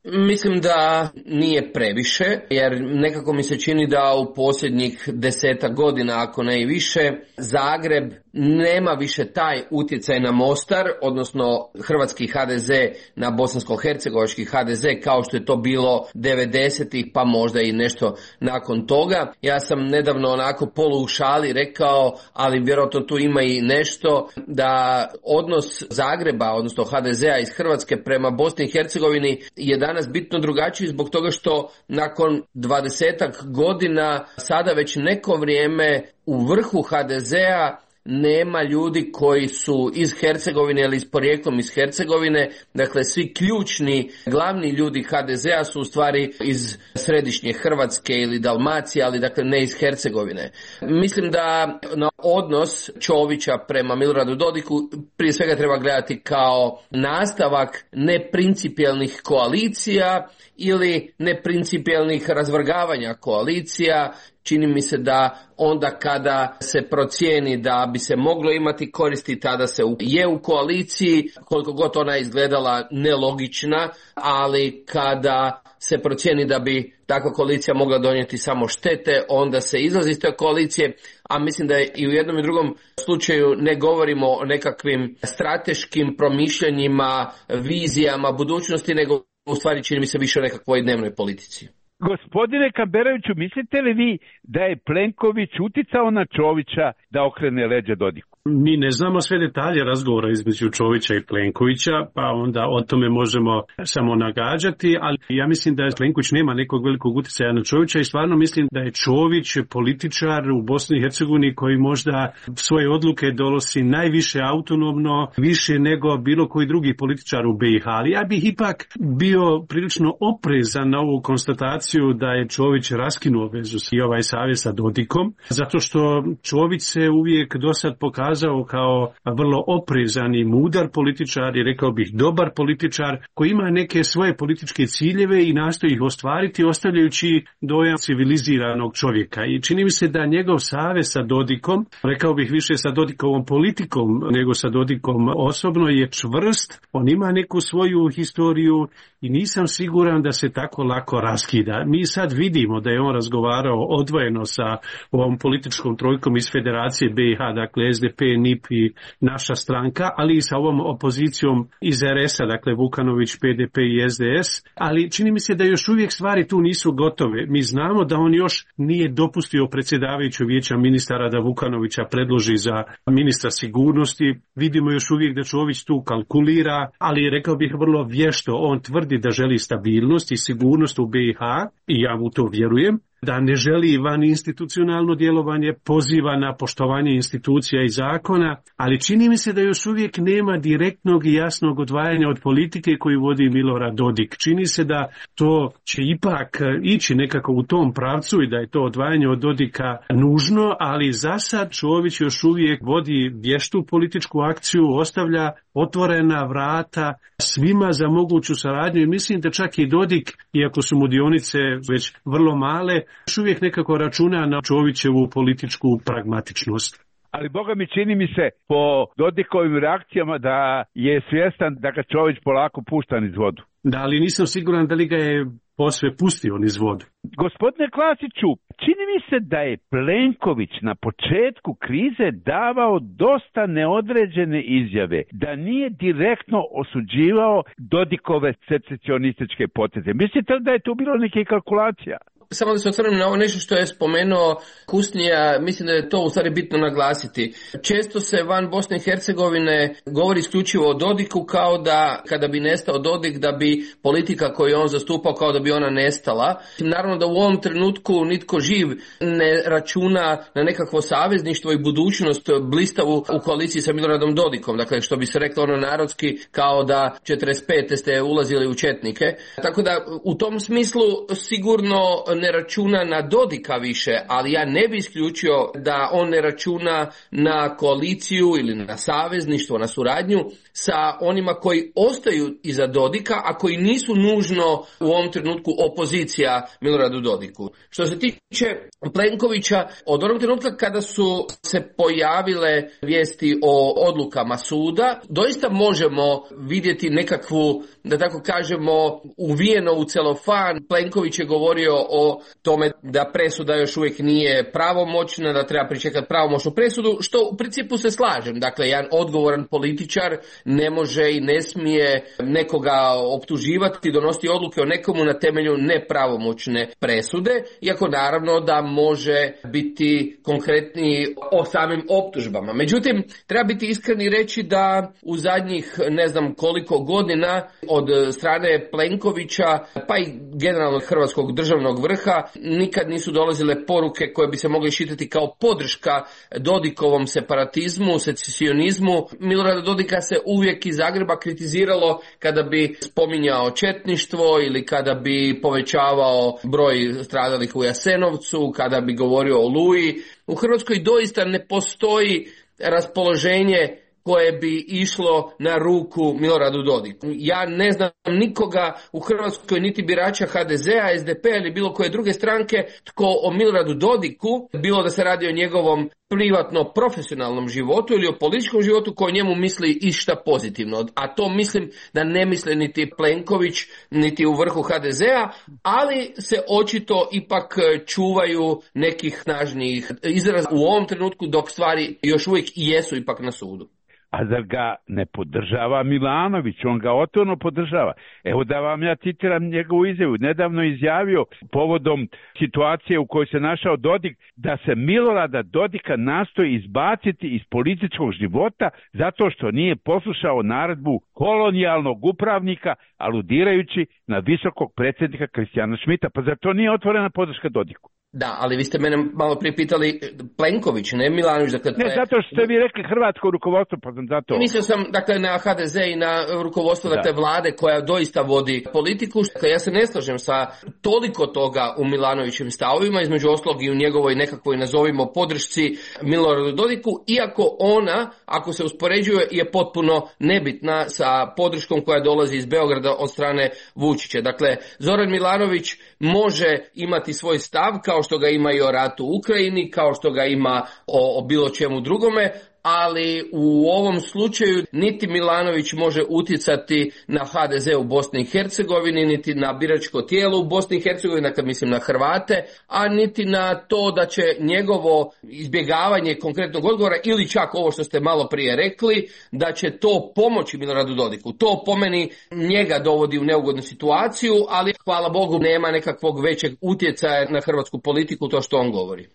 Mislim da nije previše, jer nekako mi se čini da u posljednjih desetak godina, ako ne i više, Zagreb nema više taj utjecaj na Mostar, odnosno hrvatski ha de ze na bosansko-hercegovački ha de ze, kao što je to bilo devedesetih, pa možda i nešto nakon toga. Ja sam nedavno onako polu u šali rekao, ali vjerojatno tu ima i nešto, da odnos Zagreba, odnosno ha de zea iz Hrvatske prema Bosni i Hercegovini je danas bitno drugačiji zbog toga što nakon dvadesetak godina sada već neko vrijeme u vrhu ha de zea nema ljudi koji su iz Hercegovine ili s porijeklom iz Hercegovine. Dakle, svi ključni, glavni ljudi ha de zea su u stvari iz središnje Hrvatske ili Dalmacije, ali dakle ne iz Hercegovine. Mislim da na odnos Čovića prema Miloradu Dodiku prije svega treba gledati kao nastavak neprincipijelnih koalicija ili neprincipijelnih razvrgavanja koalicija. Čini mi se da onda kada se procijeni da bi se moglo imati koristi, tada se je u koaliciji, koliko god ona izgledala nelogična, ali kada se procijeni da bi takva koalicija mogla donijeti samo štete, onda se izlazi iz te koalicije, a mislim da i u jednom i drugom slučaju ne govorimo o nekakvim strateškim promišljanjima, vizijama budućnosti, nego u stvari čini mi se više o nekakvoj dnevnoj politici. Gospodine Kamberoviću, mislite li vi da je Plenković uticao na Čovića da okrene leđa Dodiku? Mi ne znamo sve detalje razgovora između Čovića i Plenkovića, pa onda o tome možemo samo nagađati, ali ja mislim da Plenković nema nekog velikog utjecaja na Čovića i stvarno mislim da je Čović političar u Bosni i Hercegovini koji možda svoje odluke donosi najviše autonomno, više nego bilo koji drugi političar u be i ha, ali ja bih ipak bio prilično oprezan na ovu konstataciju da je Čović raskinuo vezu i ovaj savez sa Dodikom, zato što Čović se uvijek dosad pokazao pokazao kao vrlo oprezan i mudar političar i rekao bih dobar političar koji ima neke svoje političke ciljeve i nastoji ih ostvariti ostavljajući dojam civiliziranog čovjeka. I čini mi se da njegov savez sa Dodikom, rekao bih više sa Dodikovom politikom nego sa Dodikom osobno, je čvrst. On ima neku svoju historiju i nisam siguran da se tako lako raskida. Mi sad vidimo da je on razgovarao odvojeno sa ovom političkom trojkom iz Federacije B i H, dakle S D P, N I P i naša stranka, ali i sa ovom opozicijom iz R S-a, dakle Vukanović, P D P i S D S, ali čini mi se da još uvijek stvari tu nisu gotove. Mi znamo da on još nije dopustio predsjedavajuću vijeća ministara da Vukanovića predloži za ministra sigurnosti. Vidimo još uvijek da Čović tu kalkulira, ali rekao bih vrlo vješto. On tvrdi da želi stabilnost i sigurnost u B i H i ja mu to vjerujem, da ne želi van institucionalno djelovanje, poziva na poštovanje institucija i zakona, ali čini mi se da još uvijek nema direktnog i jasnog odvajanja od politike koju vodi Milorad Dodik. Čini se da to će ipak ići nekako u tom pravcu i da je to odvajanje od Dodika nužno, ali za sad Čović još uvijek vodi vještu političku akciju, ostavlja otvorena vrata svima za moguću saradnju i mislim da čak i Dodik, iako su mu dionice već vrlo male, još uvijek nekako računa na Čovićevu političku pragmatičnost. Ali boga mi čini mi se po Dodikovim reakcijama da je svjestan da ga Čović polako pušta niz vodu. Da, ali nisam siguran da li ga je posve pustio niz vodu. Gospodine Klasiću, čini mi se da je Plenković na početku krize davao dosta neodređene izjave, da nije direktno osuđivao Dodikove secesionističke poteze. Mislite li da je tu bilo neke kalkulacija? Samo da se otvorim na ovo nešto što je spomenuo Kusnija, mislim da je to u stvari bitno naglasiti. Često se van Bosne i Hercegovine govori isključivo o Dodiku kao da kada bi nestao Dodik da bi politika koju je on zastupao kao da bi ona nestala. Naravno da u ovom trenutku nitko živ ne računa na nekakvo savezništvo i budućnost blistavu u koaliciji sa Miloradom Dodikom. Dakle, što bi se reklo ono narodski kao da četrdeset pete ste ulazili u četnike. Tako da u tom smislu sigurno ne računa na Dodika više, ali ja ne bi isključio da on ne računa na koaliciju ili na savezništvo, na suradnju sa onima koji ostaju iza Dodika, a koji nisu nužno u ovom trenutku opozicija Miloradu Dodiku. Što se tiče Plenkovića, od onog trenutka kada su se pojavile vijesti o odlukama suda, doista možemo vidjeti nekakvu, da tako kažemo, uvijeno u celofan. Plenković je govorio o tome da presuda još uvijek nije pravomoćna, da treba pričekati pravomoćnu presudu, što u principu se slažem. Dakle, jedan odgovoran političar ne može i ne smije nekoga optuživati, donositi odluke o nekomu na temelju nepravomoćne presude, iako naravno da može biti konkretni o samim optužbama. Međutim, treba biti iskren i reći da u zadnjih ne znam koliko godina od strane Plenkovića, pa i generalno hrvatskog državnog vrha, nikad nisu dolazile poruke koje bi se mogle iščitati kao podrška Dodikovom separatizmu, secesionizmu. Milorada Dodika se uvijek iz Zagreba kritiziralo kada bi spominjao četništvo ili kada bi povećavao broj stradalih u Jasenovcu, kada bi govorio o Oluji. U Hrvatskoj doista ne postoji raspoloženje koje bi išlo na ruku Miloradu Dodiku. Ja ne znam nikoga u Hrvatskoj, niti birača H D Z-a, S D P ili bilo koje druge stranke, tko o Miloradu Dodiku, bilo da se radi o njegovom privatno profesionalnom životu ili o političkom životu, koji njemu misli išta pozitivno. A to mislim da ne misle niti Plenković, niti u vrhu H D Z-a, ali se očito ipak čuvaju nekih snažnijih izraza u ovom trenutku, dok stvari još uvijek jesu ipak na sudu. A zar ga ne podržava Milanović? On ga otvoreno podržava. Evo da vam ja citiram njegovu izjavu. Nedavno izjavio povodom situacije u kojoj se našao Dodik da se Milorada Dodika nastoji izbaciti iz političkog života zato što nije poslušao naredbu kolonijalnog upravnika, aludirajući na visokog predsjednika Kristijana Šmita. Pa zar to nije otvorena podrška Dodiku? Da, ali vi ste mene malo prije pitali Plenković, ne Milanović. Dakle, ne, zato što ste vi rekli hrvatsko rukovodstvo, pa sam zato... Mislio sam, dakle, na ha de ze i na rukovodstvo, dakle, vlade koja doista vodi politiku. Dakle, ja se ne slažem sa toliko toga u Milanovićevim stavovima, između ostalog i u njegovoj nekakvoj, nazovimo, podršci Miloradu Dodiku, iako ona, ako se uspoređuje, je potpuno nebitna sa podrškom koja dolazi iz Beograda od strane Vučića. Dakle, Zoran Milanović može imati svoj stav, kao što ga ima i o ratu u Ukrajini, kao što ga ima o, o bilo čemu drugome, ali u ovom slučaju niti Milanović može utjecati na ha de ze u Bosni i Hercegovini, niti na biračko tijelo u Bosni i Hercegovini, dakle mislim na Hrvate, a niti na to da će njegovo izbjegavanje konkretnog odgovora ili čak ovo što ste malo prije rekli, da će to pomoći Miloradu Dodiku. To po meni njega dovodi u neugodnu situaciju, ali hvala Bogu nema nekakvog većeg utjecaja na hrvatsku politiku to što on govori.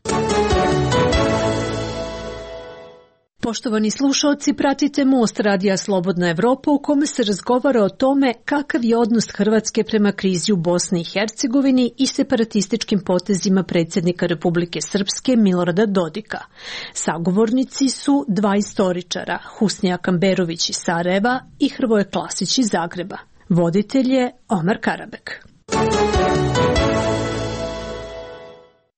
Poštovani slušalci, pratite Most Radija Slobodna Evropa u kome se razgovara o tome kakav je odnos Hrvatske prema krizi u Bosni i Hercegovini i separatističkim potezima predsjednika Republike Srpske Milorada Dodika. Sagovornici su dva istoričara, Husnija Kamberović iz Sarajeva i Hrvoje Klasić iz Zagreba. Voditelj je Omar Karabek.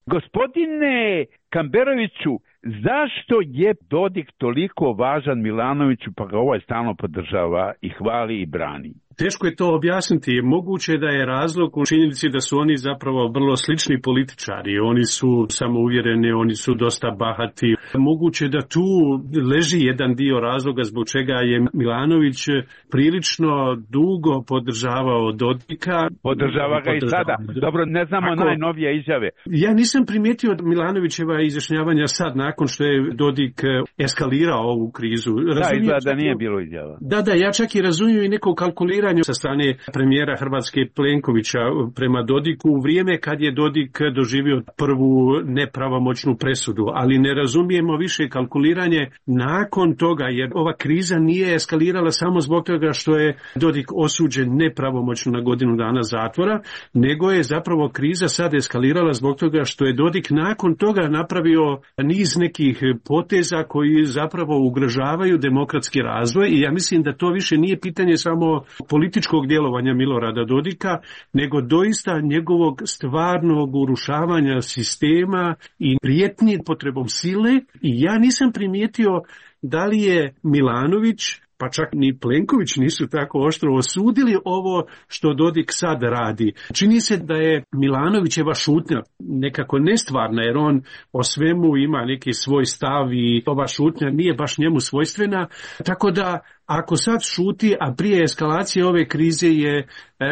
Gospodine Kamberoviću, zašto je Dodik toliko važan Milanoviću pa ga ovaj stalno podržava i hvali i brani? Teško je to objasniti. Moguće je da je razlog u činjenici da su oni zapravo vrlo slični političari. Oni su samouvjereni, oni su dosta bahati. Moguće je da tu leži jedan dio razloga zbog čega je Milanović prilično dugo podržavao Dodika. Podržava ga i sada. Dobro, ne znamo Ako, najnovije izjave. Ja nisam primijetio od Milanovićeva izjašnjavanja sad, nakon što je Dodik eskalirao ovu krizu. Razumijem da, izgleda da nije bilo izjava. Da, da, ja čak i razumijem i neko kalkuliranje sa strane premijera Hrvatske Plenkovića prema Dodiku u vrijeme kad je Dodik doživio prvu nepravomoćnu presudu, ali ne razumijemo više kalkuliranje nakon toga, jer ova kriza nije eskalirala samo zbog toga što je Dodik osuđen nepravomoćno na godinu dana zatvora, nego je zapravo kriza sad eskalirala zbog toga što je Dodik nakon toga napravio niz nekih poteza koji zapravo ugrožavaju demokratski razvoj i ja mislim da to više nije pitanje samo političkog djelovanja Milorada Dodika, nego doista njegovog stvarnog urušavanja sistema i prijetnji potrebom sile i ja nisam primijetio da li je Milanović pa čak ni Plenković nisu tako oštro osudili ovo što Dodik sad radi. Čini se da je Milanovićeva šutnja nekako nestvarna, jer on o svemu ima neki svoj stav i ova šutnja nije baš njemu svojstvena, tako da ako sad šuti, a prije eskalacije ove krize je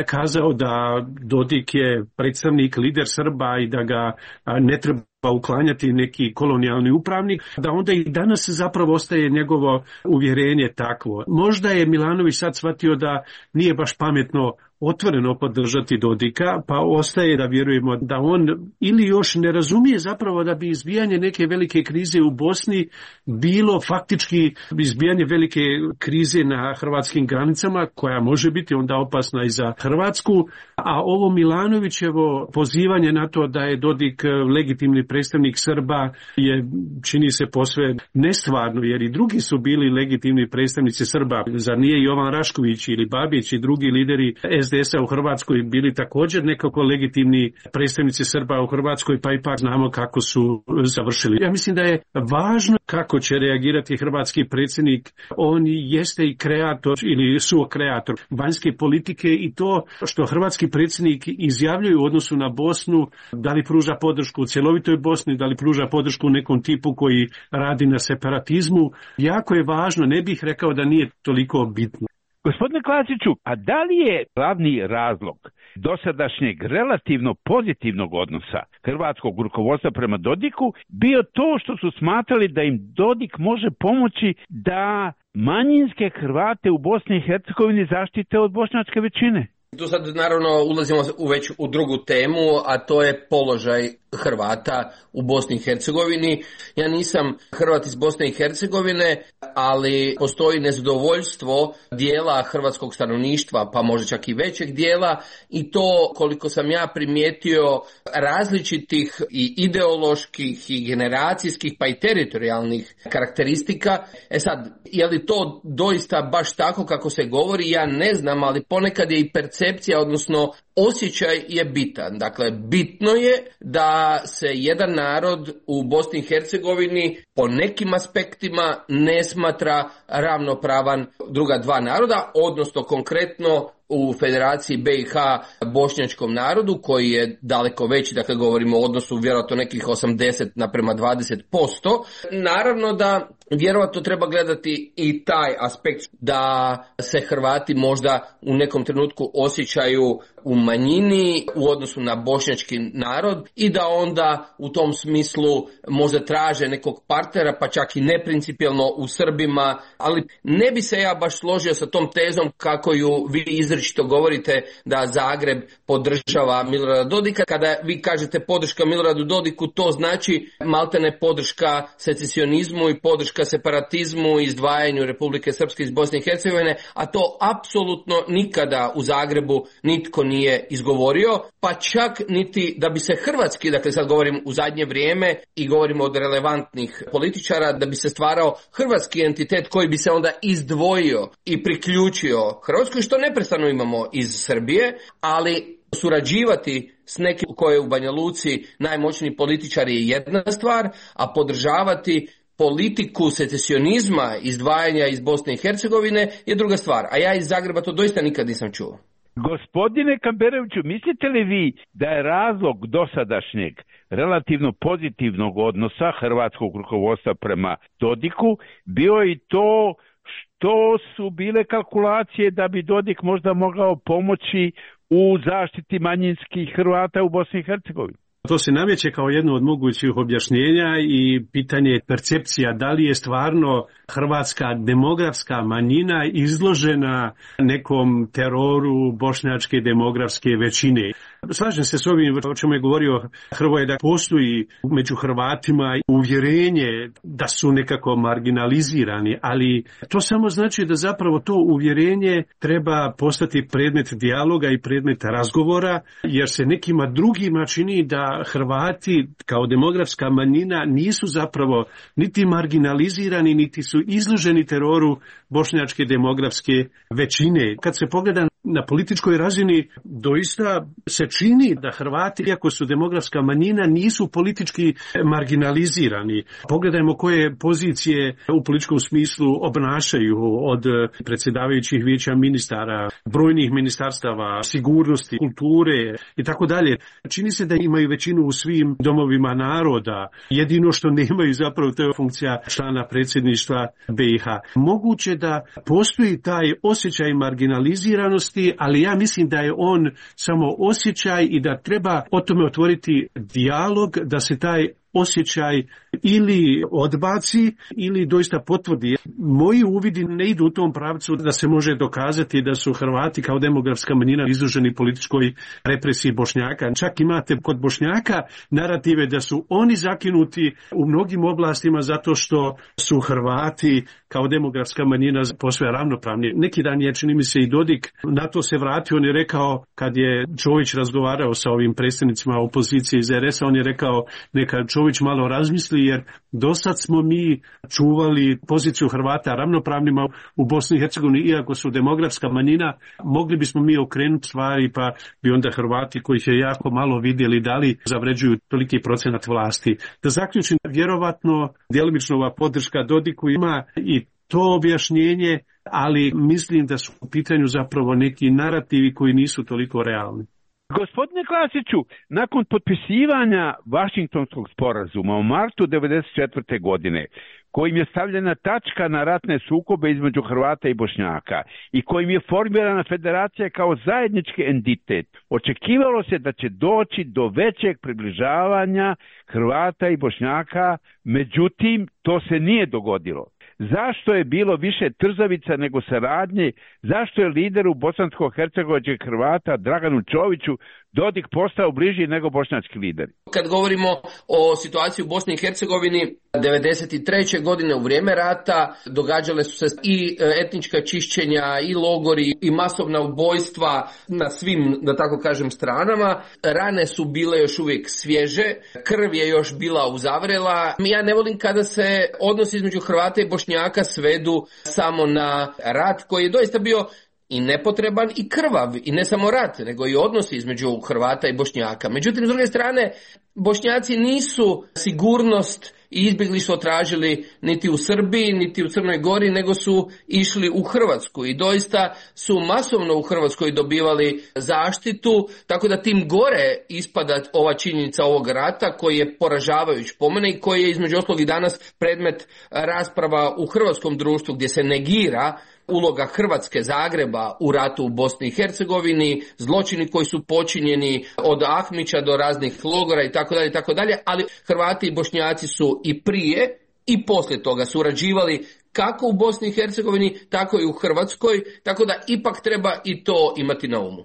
kazao da Dodik je predstavnik, lider Srba i da ga ne treba uklanjati neki kolonijalni upravnik, da onda i danas zapravo ostaje njegovo uvjerenje takvo. Možda je Milanović sad shvatio da nije baš pametno otvoreno podržati Dodika, pa ostaje da vjerujemo da on ili još ne razumije zapravo da bi izbijanje neke velike krize u Bosni bilo faktički izbijanje velike krize na hrvatskim granicama, koja može biti onda opasna i za Hrvatsku, a ovo Milanovićevo pozivanje na to da je Dodik legitimni predstavnik Srba je, čini se, posve nestvarno, jer i drugi su bili legitimni predstavnici Srba. Zar nije Jovan Rašković ili Babić i drugi lideri es de es a u Hrvatskoj bili također nekako legitimni predstavnici Srba u Hrvatskoj, pa ipak znamo kako su završili. Ja mislim da je važno kako će reagirati hrvatski predsjednik. On jeste i kreator ili suokreator vanjske politike i to što hrvatski predsjednik izjavljuje u odnosu na Bosnu, da li pruža podršku u cjelovitoj Bosni, da li pruža podršku nekom tipu koji radi na separatizmu, jako je važno, ne bih rekao da nije toliko bitno. Gospodine Klasiću, a da li je glavni razlog dosadašnjeg relativno pozitivnog odnosa hrvatskog rukovodstva prema Dodiku bio to što su smatrali da im Dodik može pomoći da manjinske Hrvate u Bosni i Hercegovini zaštite od bošnjačke većine? Tu sad naravno ulazimo u već u drugu temu, a to je položaj Hrvata u Bosni i Hercegovini. Ja nisam Hrvat iz Bosne i Hercegovine, ali postoji nezadovoljstvo dijela hrvatskog stanovništva, pa možda čak i većeg dijela, i to, koliko sam ja primijetio, različitih i ideoloških i generacijskih pa i teritorijalnih karakteristika. E sad, je li to doista baš tako kako se govori, ja ne znam, ali ponekad je i percepcija, odnosno osjećaj je bitan. Dakle, bitno je da se jedan narod u Bosni i Hercegovini po nekim aspektima ne smatra ravnopravan druga dva naroda, odnosno konkretno u Federaciji B i H bošnjačkom narodu, koji je daleko veći, dakle govorimo o odnosu vjerojatno nekih osamdeset naprema dvadeset posto. Naravno da vjerojatno treba gledati i taj aspekt da se Hrvati možda u nekom trenutku osjećaju u manjini u odnosu na bošnjački narod i da onda u tom smislu možda traže nekog partnera, pa čak i neprincipijelno u Srbima, ali ne bi se ja baš složio sa tom tezom kako ju vi izričito govorite da Zagreb podržava Milorada Dodika. Kada vi kažete podrška Miloradu Dodiku, to znači maltene podrška secesionizmu i podrška separatizmu i izdvajanju Republike Srpske iz Bosne i Hercegovine, a to apsolutno nikada u Zagrebu nitko nije izgovorio, pa čak niti da bi se hrvatski, dakle sad govorim u zadnje vrijeme i govorimo od relevantnih političara, da bi se stvarao hrvatski entitet koji bi se onda izdvojio i priključio Hrvatskoj, što neprestano imamo iz Srbije, ali surađivati s nekim koji je u Banja Luci najmoćniji političar je jedna stvar, a podržavati politiku secesionizma, izdvajanja iz Bosne i Hercegovine je druga stvar. A ja iz Zagreba to doista nikad nisam čuo. Gospodine Kamberoviću, mislite li vi da je razlog dosadašnjeg relativno pozitivnog odnosa hrvatskog rukovodstva prema Dodiku bio i to što su bile kalkulacije da bi Dodik možda mogao pomoći u zaštiti manjinskih Hrvata u Bosni i Hercegovini? To se nameće kao jedno od mogućih objašnjenja i pitanje percepcija da li je stvarno hrvatska demografska manjina izložena nekom teroru bošnjačke demografske većine. Slažem se s ovim o čemu je govorio Hrvoje, da postoji među Hrvatima uvjerenje da su nekako marginalizirani, ali to samo znači da zapravo to uvjerenje treba postati predmet dijaloga i predmet razgovora, jer se nekima drugima čini da Hrvati kao demografska manjina nisu zapravo niti marginalizirani, niti su izloženi teroru bošnjačke demografske većine. Kad se pogleda na političkoj razini, doista se čini da Hrvati, iako su demografska manjina, nisu politički marginalizirani. Pogledajmo koje pozicije u političkom smislu obnašaju, od predsjedavajućih vijeća ministara, brojnih ministarstava, sigurnosti, kulture i tako dalje. Čini se da imaju većinu u svim domovima naroda. Jedino što nemaju zapravo to je funkcija člana predsjedništva B i H. Moguće da postoji taj osjećaj marginaliziranosti, ali ja mislim da je on samo osjećaj i da treba o tome otvoriti dijalog, da se taj osjećaj ili odbaci ili doista potvrdi. Moji uvidi ne idu u tom pravcu da se može dokazati da su Hrvati kao demografska manjina izloženi političkoj represiji Bošnjaka. Čak imate kod Bošnjaka narative da su oni zakinuti u mnogim oblastima zato što su Hrvati kao demografska manjina posve ravnopravni. Neki dan je, čini mi se, i Dodik na to se vratio. On je rekao, kad je Čović razgovarao sa ovim predstavnicima opozicije iz R S-a, on je rekao neka Čović malo razmisli, jer dosad smo mi čuvali poziciju Hrvata ravnopravnima u Bosni i Hercegovini, iako su demografska manjina, mogli bismo mi okrenuti stvari, pa bi onda Hrvati, kojih je jako malo vidjeli, da li zavređuju toliki procenat vlasti. Da zaključim, vjerovatno djelomično ova podrška Dodiku ima i to objašnjenje, ali mislim da su u pitanju zapravo neki narativi koji nisu toliko realni. Gospodine Klasiću, nakon potpisivanja Vašingtonskog sporazuma u martu devedeset četvrte. godine, kojim je stavljena tačka na ratne sukobe između Hrvata i Bošnjaka i kojim je formirana federacija kao zajednički entitet, očekivalo se da će doći do većeg približavanja Hrvata i Bošnjaka, međutim to se nije dogodilo. Zašto je bilo više trzavica nego saradnje? Zašto je lideru bosansko-hercegovačkih Hrvata Draganu Čoviću Dodik postao bliži nego bošnjački lideri. Kad govorimo o situaciji u Bosni i Hercegovini, devedeset treće godine u vrijeme rata događale su se i etnička čišćenja, i logori, i masovna ubojstva na svim, da tako kažem, stranama. Rane su bile još uvijek svježe, krv je još bila uzavrela. Ja ne volim kada se odnosi između Hrvata i Bošnjaka svedu samo na rat koji je doista bio i nepotreban i krvav, i ne samo rat, nego i odnosi između Hrvata i Bošnjaka. Međutim, s druge strane, Bošnjaci nisu sigurnost i izbjeglištvo tražili niti u Srbiji, niti u Crnoj Gori, nego su išli u Hrvatsku i doista su masovno u Hrvatskoj dobivali zaštitu, tako da tim gore ispada ova činjenica ovog rata koji je poražavajuć po mene i koji je između ostalog i danas predmet rasprava u hrvatskom društvu gdje se negira uloga Hrvatske, Zagreba u ratu u Bosni i Hercegovini, zločini koji su počinjeni od Ahmića do raznih logora i tako dalje i tako dalje, ali Hrvati i Bošnjaci su i prije i poslije toga surađivali kako u Bosni i Hercegovini, tako i u Hrvatskoj, tako da ipak treba i to imati na umu.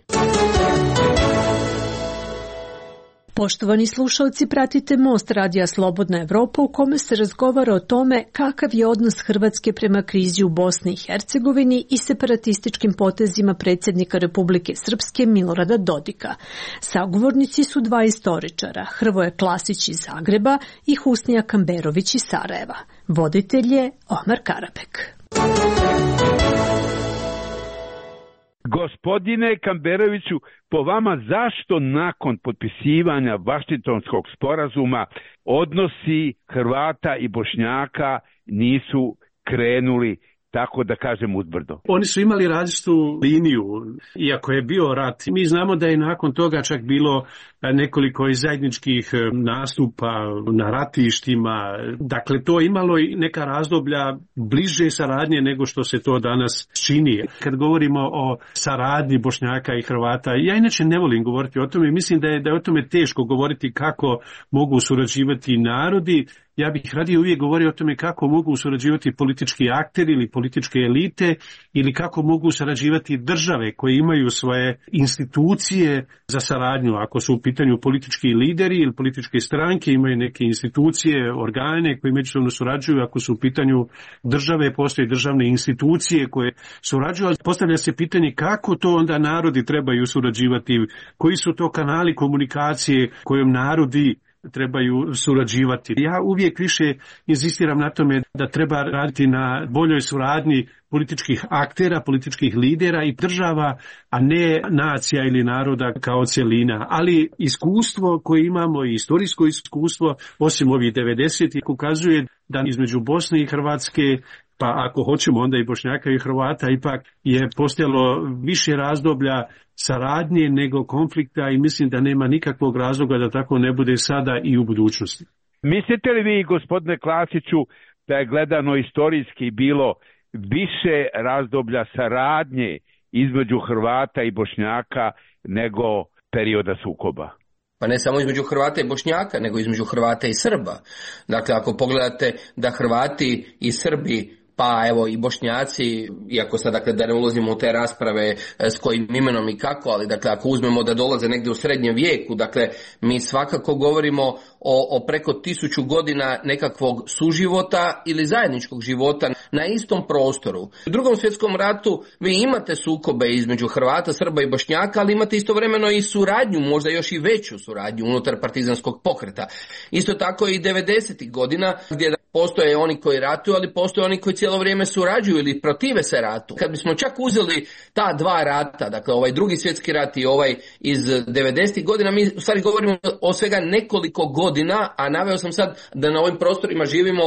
Poštovani slušalci, pratite Most radija Slobodna Evropa u kome se razgovara o tome kakav je odnos Hrvatske prema krizi u Bosni i Hercegovini i separatističkim potezima predsjednika Republike Srpske Milorada Dodika. Sagovornici su dva istoričara, Hrvoje Klasić iz Zagreba i Husnija Kamberović iz Sarajeva. Voditelj je Omar Karabek. Gospodine Kamberoviću, po vama zašto nakon potpisivanja Vašingtonskog sporazuma odnosi Hrvata i Bošnjaka nisu krenuli, tako da kažem, uzbrdo? Oni su imali različitu liniju, iako je bio rat. Mi znamo da je nakon toga čak bilo nekoliko i zajedničkih nastupa na ratištima. Dakle, to je imalo i neka razdoblja bliže saradnje nego što se to danas čini. Kad govorimo o saradnji Bošnjaka i Hrvata, ja inače ne volim govoriti o tome. Mislim da je, da je o tome teško govoriti kako mogu surađivati narodi. Ja bih radije uvijek govorio o tome kako mogu surađivati politički akteri ili političke elite ili kako mogu surađivati države koje imaju svoje institucije za saradnju. Ako su u pitanju politički lideri ili političke stranke, imaju neke institucije, organe koji međusobno surađuju. Ako su u pitanju države, postoje državne institucije koje surađuju, ali postavlja se pitanje kako to onda narodi trebaju surađivati, koji su to kanali komunikacije kojom narodi trebaju surađivati. Ja uvijek više inzistiram na tome da treba raditi na boljoj suradnji političkih aktera, političkih lidera i država, a ne nacija ili naroda kao cjelina. Ali iskustvo koje imamo i istorijsko iskustvo, osim ovih devedesetih, ukazuje da između Bosne i Hrvatske, pa ako hoćemo onda i Bošnjaka i Hrvata, ipak je postojalo više razdoblja saradnje nego konflikta i mislim da nema nikakvog razloga da tako ne bude sada i u budućnosti. Mislite li vi, gospodine Klasiću, da je gledano istorijski bilo više razdoblja saradnje između Hrvata i Bošnjaka nego perioda sukoba? Pa ne samo između Hrvata i Bošnjaka, nego između Hrvata i Srba. Dakle, ako pogledate da Hrvati i Srbi, pa evo i Bošnjaci, iako sad dakle da ne ulazimo u te rasprave s kojim imenom i kako, ali dakle ako uzmemo da dolaze negdje u srednjem vijeku, dakle mi svakako govorimo o, o preko tisuću godina nekakvog suživota ili zajedničkog života na istom prostoru. U Drugom svjetskom ratu vi imate sukobe između Hrvata, Srba i Bošnjaka, ali imate istovremeno i suradnju, možda još i veću suradnju unutar partizanskog pokreta. Isto tako i devedesetih godina gdje postoje oni koji ratuju, ali postoje oni koji cijelo vrijeme surađuju ili protive se ratu. Kad bismo čak uzeli ta dva rata, dakle ovaj drugi svjetski rat i ovaj iz devedesetih godina, mi u stvari govorimo o svega nekoliko godina, a naveo sam sad da na ovim prostorima živimo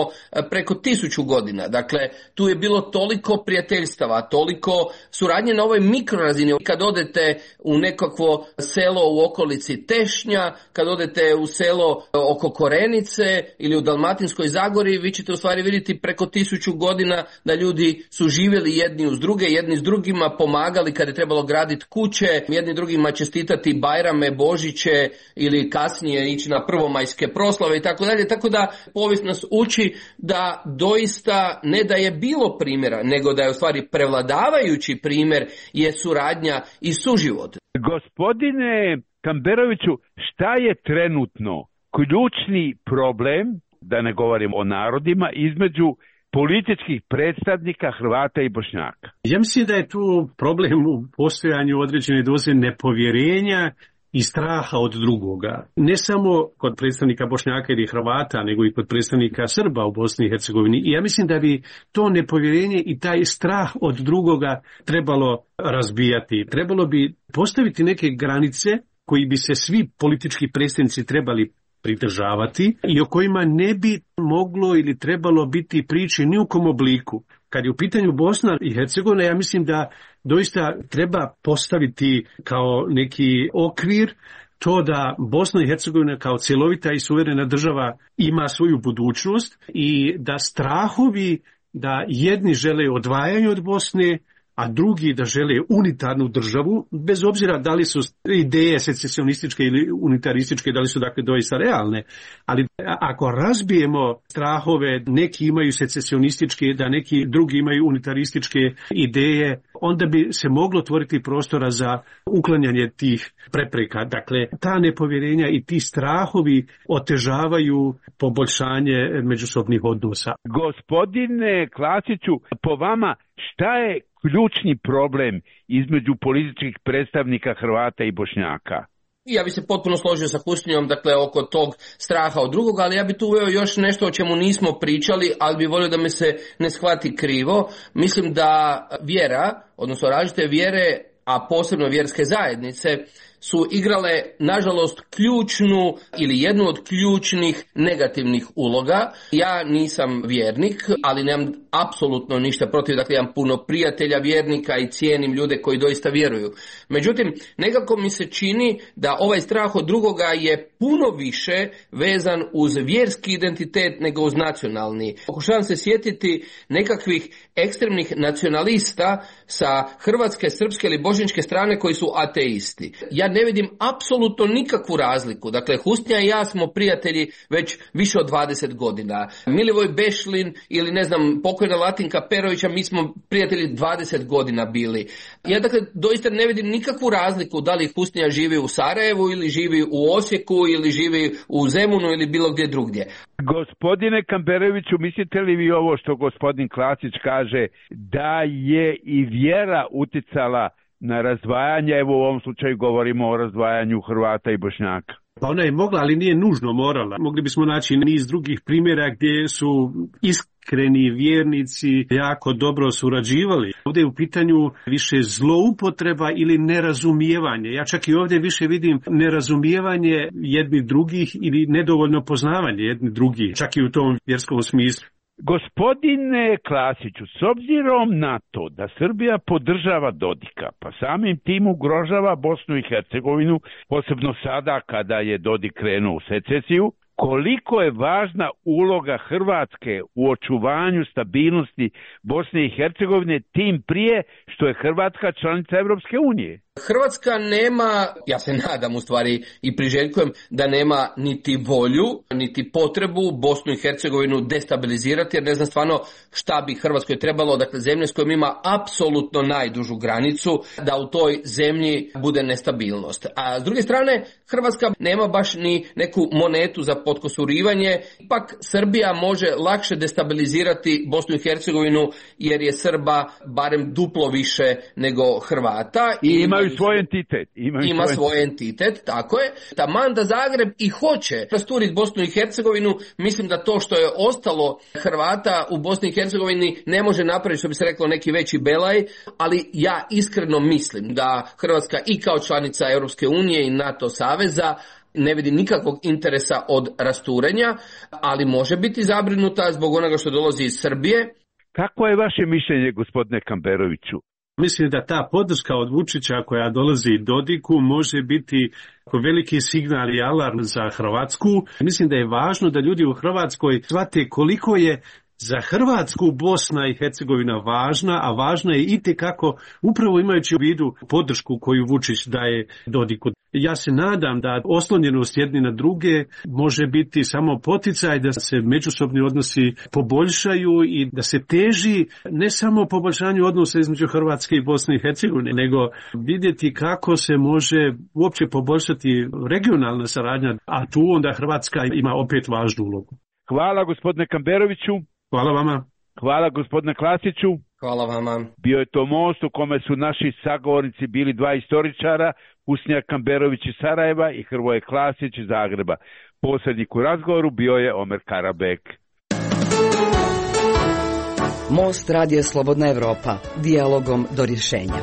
preko tisuću godina. Dakle, tu je bilo toliko prijateljstava, toliko suradnje na ovoj mikrorazini. Kad odete u nekakvo selo u okolici Tešnja, kad odete u selo oko Korenice ili u Dalmatinskoj Zagori, vi ćete u stvari vidjeti preko tisuću godina da ljudi su živjeli jedni uz druge, jedni s drugima pomagali kad je trebalo graditi kuće, jedni drugima čestitati Bajrame, Božiće ili kasnije ići na prvomajske proslave i tako dalje. Tako da povijest nas uči da doista ne da je bilo primjera, nego da je u stvari prevladavajući primjer je suradnja i suživot. Gospodine Kamberoviću, šta je trenutno ključni problem, da ne govorim o narodima, između političkih predstavnika Hrvata i Bošnjaka? Ja mislim da je tu problem u postojanju određene doze nepovjerenja i straha od drugoga. Ne samo kod predstavnika Bošnjaka ili Hrvata, nego i kod predstavnika Srba u Bosni i Hercegovini. I ja mislim da bi to nepovjerenje i taj strah od drugoga trebalo razbijati. Trebalo bi postaviti neke granice koji bi se svi politički predstavnici trebali pridržavati i o kojima ne bi moglo ili trebalo biti priče ni u kom obliku. Kad je u pitanju Bosna i Hercegovina, ja mislim da doista treba postaviti kao neki okvir to da Bosna i Hercegovina kao cjelovita i suverena država ima svoju budućnost i da strahovi da jedni žele odvajanje od Bosne, a drugi da žele unitarnu državu, bez obzira da li su ideje secesionističke ili unitarističke, da li su dakle doista realne. Ali ako razbijemo strahove, neki imaju secesionističke, da neki drugi imaju unitarističke ideje, onda bi se moglo otvoriti prostora za uklanjanje tih prepreka. Dakle, ta nepovjerenja i ti strahovi otežavaju poboljšanje međusobnih odnosa. Gospodine Klasiću, po vama šta je ključni problem između političkih predstavnika Hrvata i Bošnjaka? Ja bi se potpuno složio sa Husnijom, dakle, oko tog straha od drugoga, ali ja bi tu uveo još nešto o čemu nismo pričali, ali bi volio da me se ne shvati krivo. Mislim da vjera, odnosno različite vjere, a posebno vjerske zajednice, su igrale, nažalost, ključnu ili jednu od ključnih negativnih uloga. Ja nisam vjernik, ali nemam apsolutno ništa protiv, dakle imam puno prijatelja vjernika i cijenim ljude koji doista vjeruju. Međutim, nekako mi se čini da ovaj strah od drugoga je puno više vezan uz vjerski identitet nego uz nacionalni. Pokušavam se sjetiti nekakvih ekstremnih nacionalista sa hrvatske, srpske ili bošnjačke strane koji su ateisti. Ja ne vidim apsolutno nikakvu razliku. Dakle, Husnija i ja smo prijatelji već više od dvadeset godina. Milivoj Bešlin ili ne znam, pokojna Latinka Perovića, mi smo prijatelji dvadeset godina bili. Ja dakle doista ne vidim nikakvu razliku da li Husnija živi u Sarajevu ili živi u Osijeku ili živi u Zemunu ili bilo gdje drugdje. Gospodine Kamberoviću, mislite li vi ovo što gospodin Klasić kaže, da je i vjera uticala na razdvajanje, evo u ovom slučaju govorimo o razdvajanju Hrvata i Bošnjaka? Pa ona je mogla, ali nije nužno morala. Mogli bismo naći niz drugih primjera gdje su iskreni vjernici jako dobro surađivali. Ovdje je u pitanju više zloupotreba ili nerazumijevanje. Ja čak i ovdje više vidim nerazumijevanje jednih drugih ili nedovoljno poznavanje jednih drugih, čak i u tom vjerskom smislu. Gospodine Klasiću, s obzirom na to da Srbija podržava Dodika, pa samim tim ugrožava Bosnu i Hercegovinu, posebno sada kada je Dodik krenuo u secesiju, koliko je važna uloga Hrvatske u očuvanju stabilnosti Bosne i Hercegovine, tim prije što je Hrvatska članica Europske unije? Hrvatska nema, ja se nadam u stvari i priželjkujem da nema niti volju, niti potrebu Bosnu i Hercegovinu destabilizirati, jer ne znam stvarno šta bi Hrvatskoj trebalo, dakle zemlje s kojom ima apsolutno najdužu granicu, da u toj zemlji bude nestabilnost. A s druge strane, Hrvatska nema baš ni neku monetu za potkosurivanje, ipak Srbija može lakše destabilizirati Bosnu i Hercegovinu jer je Srba barem duplo više nego Hrvata. I imaju svoj entitet. Imaju ima svoj, svoj entitet, tako je. Taman da Zagreb i hoće rasturiti Bosnu i Hercegovinu, mislim da to što je ostalo Hrvata u Bosni i Hercegovini ne može napraviti, što bi se reklo, neki veći belaj, ali ja iskreno mislim da Hrvatska i kao članica Europske unije i NATO saveza ne vidi nikakvog interesa od rasturenja, ali može biti zabrinuta zbog onoga što dolazi iz Srbije. Kako je vaše mišljenje, gospodine Kamberoviću? Mislim da ta podrška od Vučića koja dolazi Dodiku može biti veliki signal i alarm za Hrvatsku. Mislim da je važno da ljudi u Hrvatskoj shvate koliko je za Hrvatsku Bosna i Hercegovina važna, a važna je itekako upravo imajući u vidu podršku koju Vučić daje Dodiku. Ja se nadam da oslonjenost jedni na druge može biti samo poticaj da se međusobni odnosi poboljšaju i da se teži ne samo poboljšanju odnosa između Hrvatske i Bosne i Hercegovine, nego vidjeti kako se može uopće poboljšati regionalna saradnja, a tu onda Hrvatska ima opet važnu ulogu. Hvala gospodine Kamberoviću. Hvala vama. Hvala gospodine Klasiću. Hvala vama. Bio je to most u kome su naši sagovornici bili dva istoričara, Usnjak Kamberović iz Sarajeva i Hrvoje Klasić iz Zagreba. Posrednik u razgovoru bio je Omer Karabek. Most Radio Slobodna Evropa. Dijalogom do rješenja.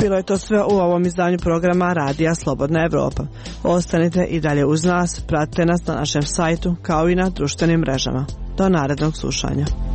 Bilo je to sve u ovom izdanju programa Radija Slobodna Evropa. Ostanite i dalje uz nas, pratite nas na našem sajtu kao i na društvenim mrežama. Do narednog slušanja.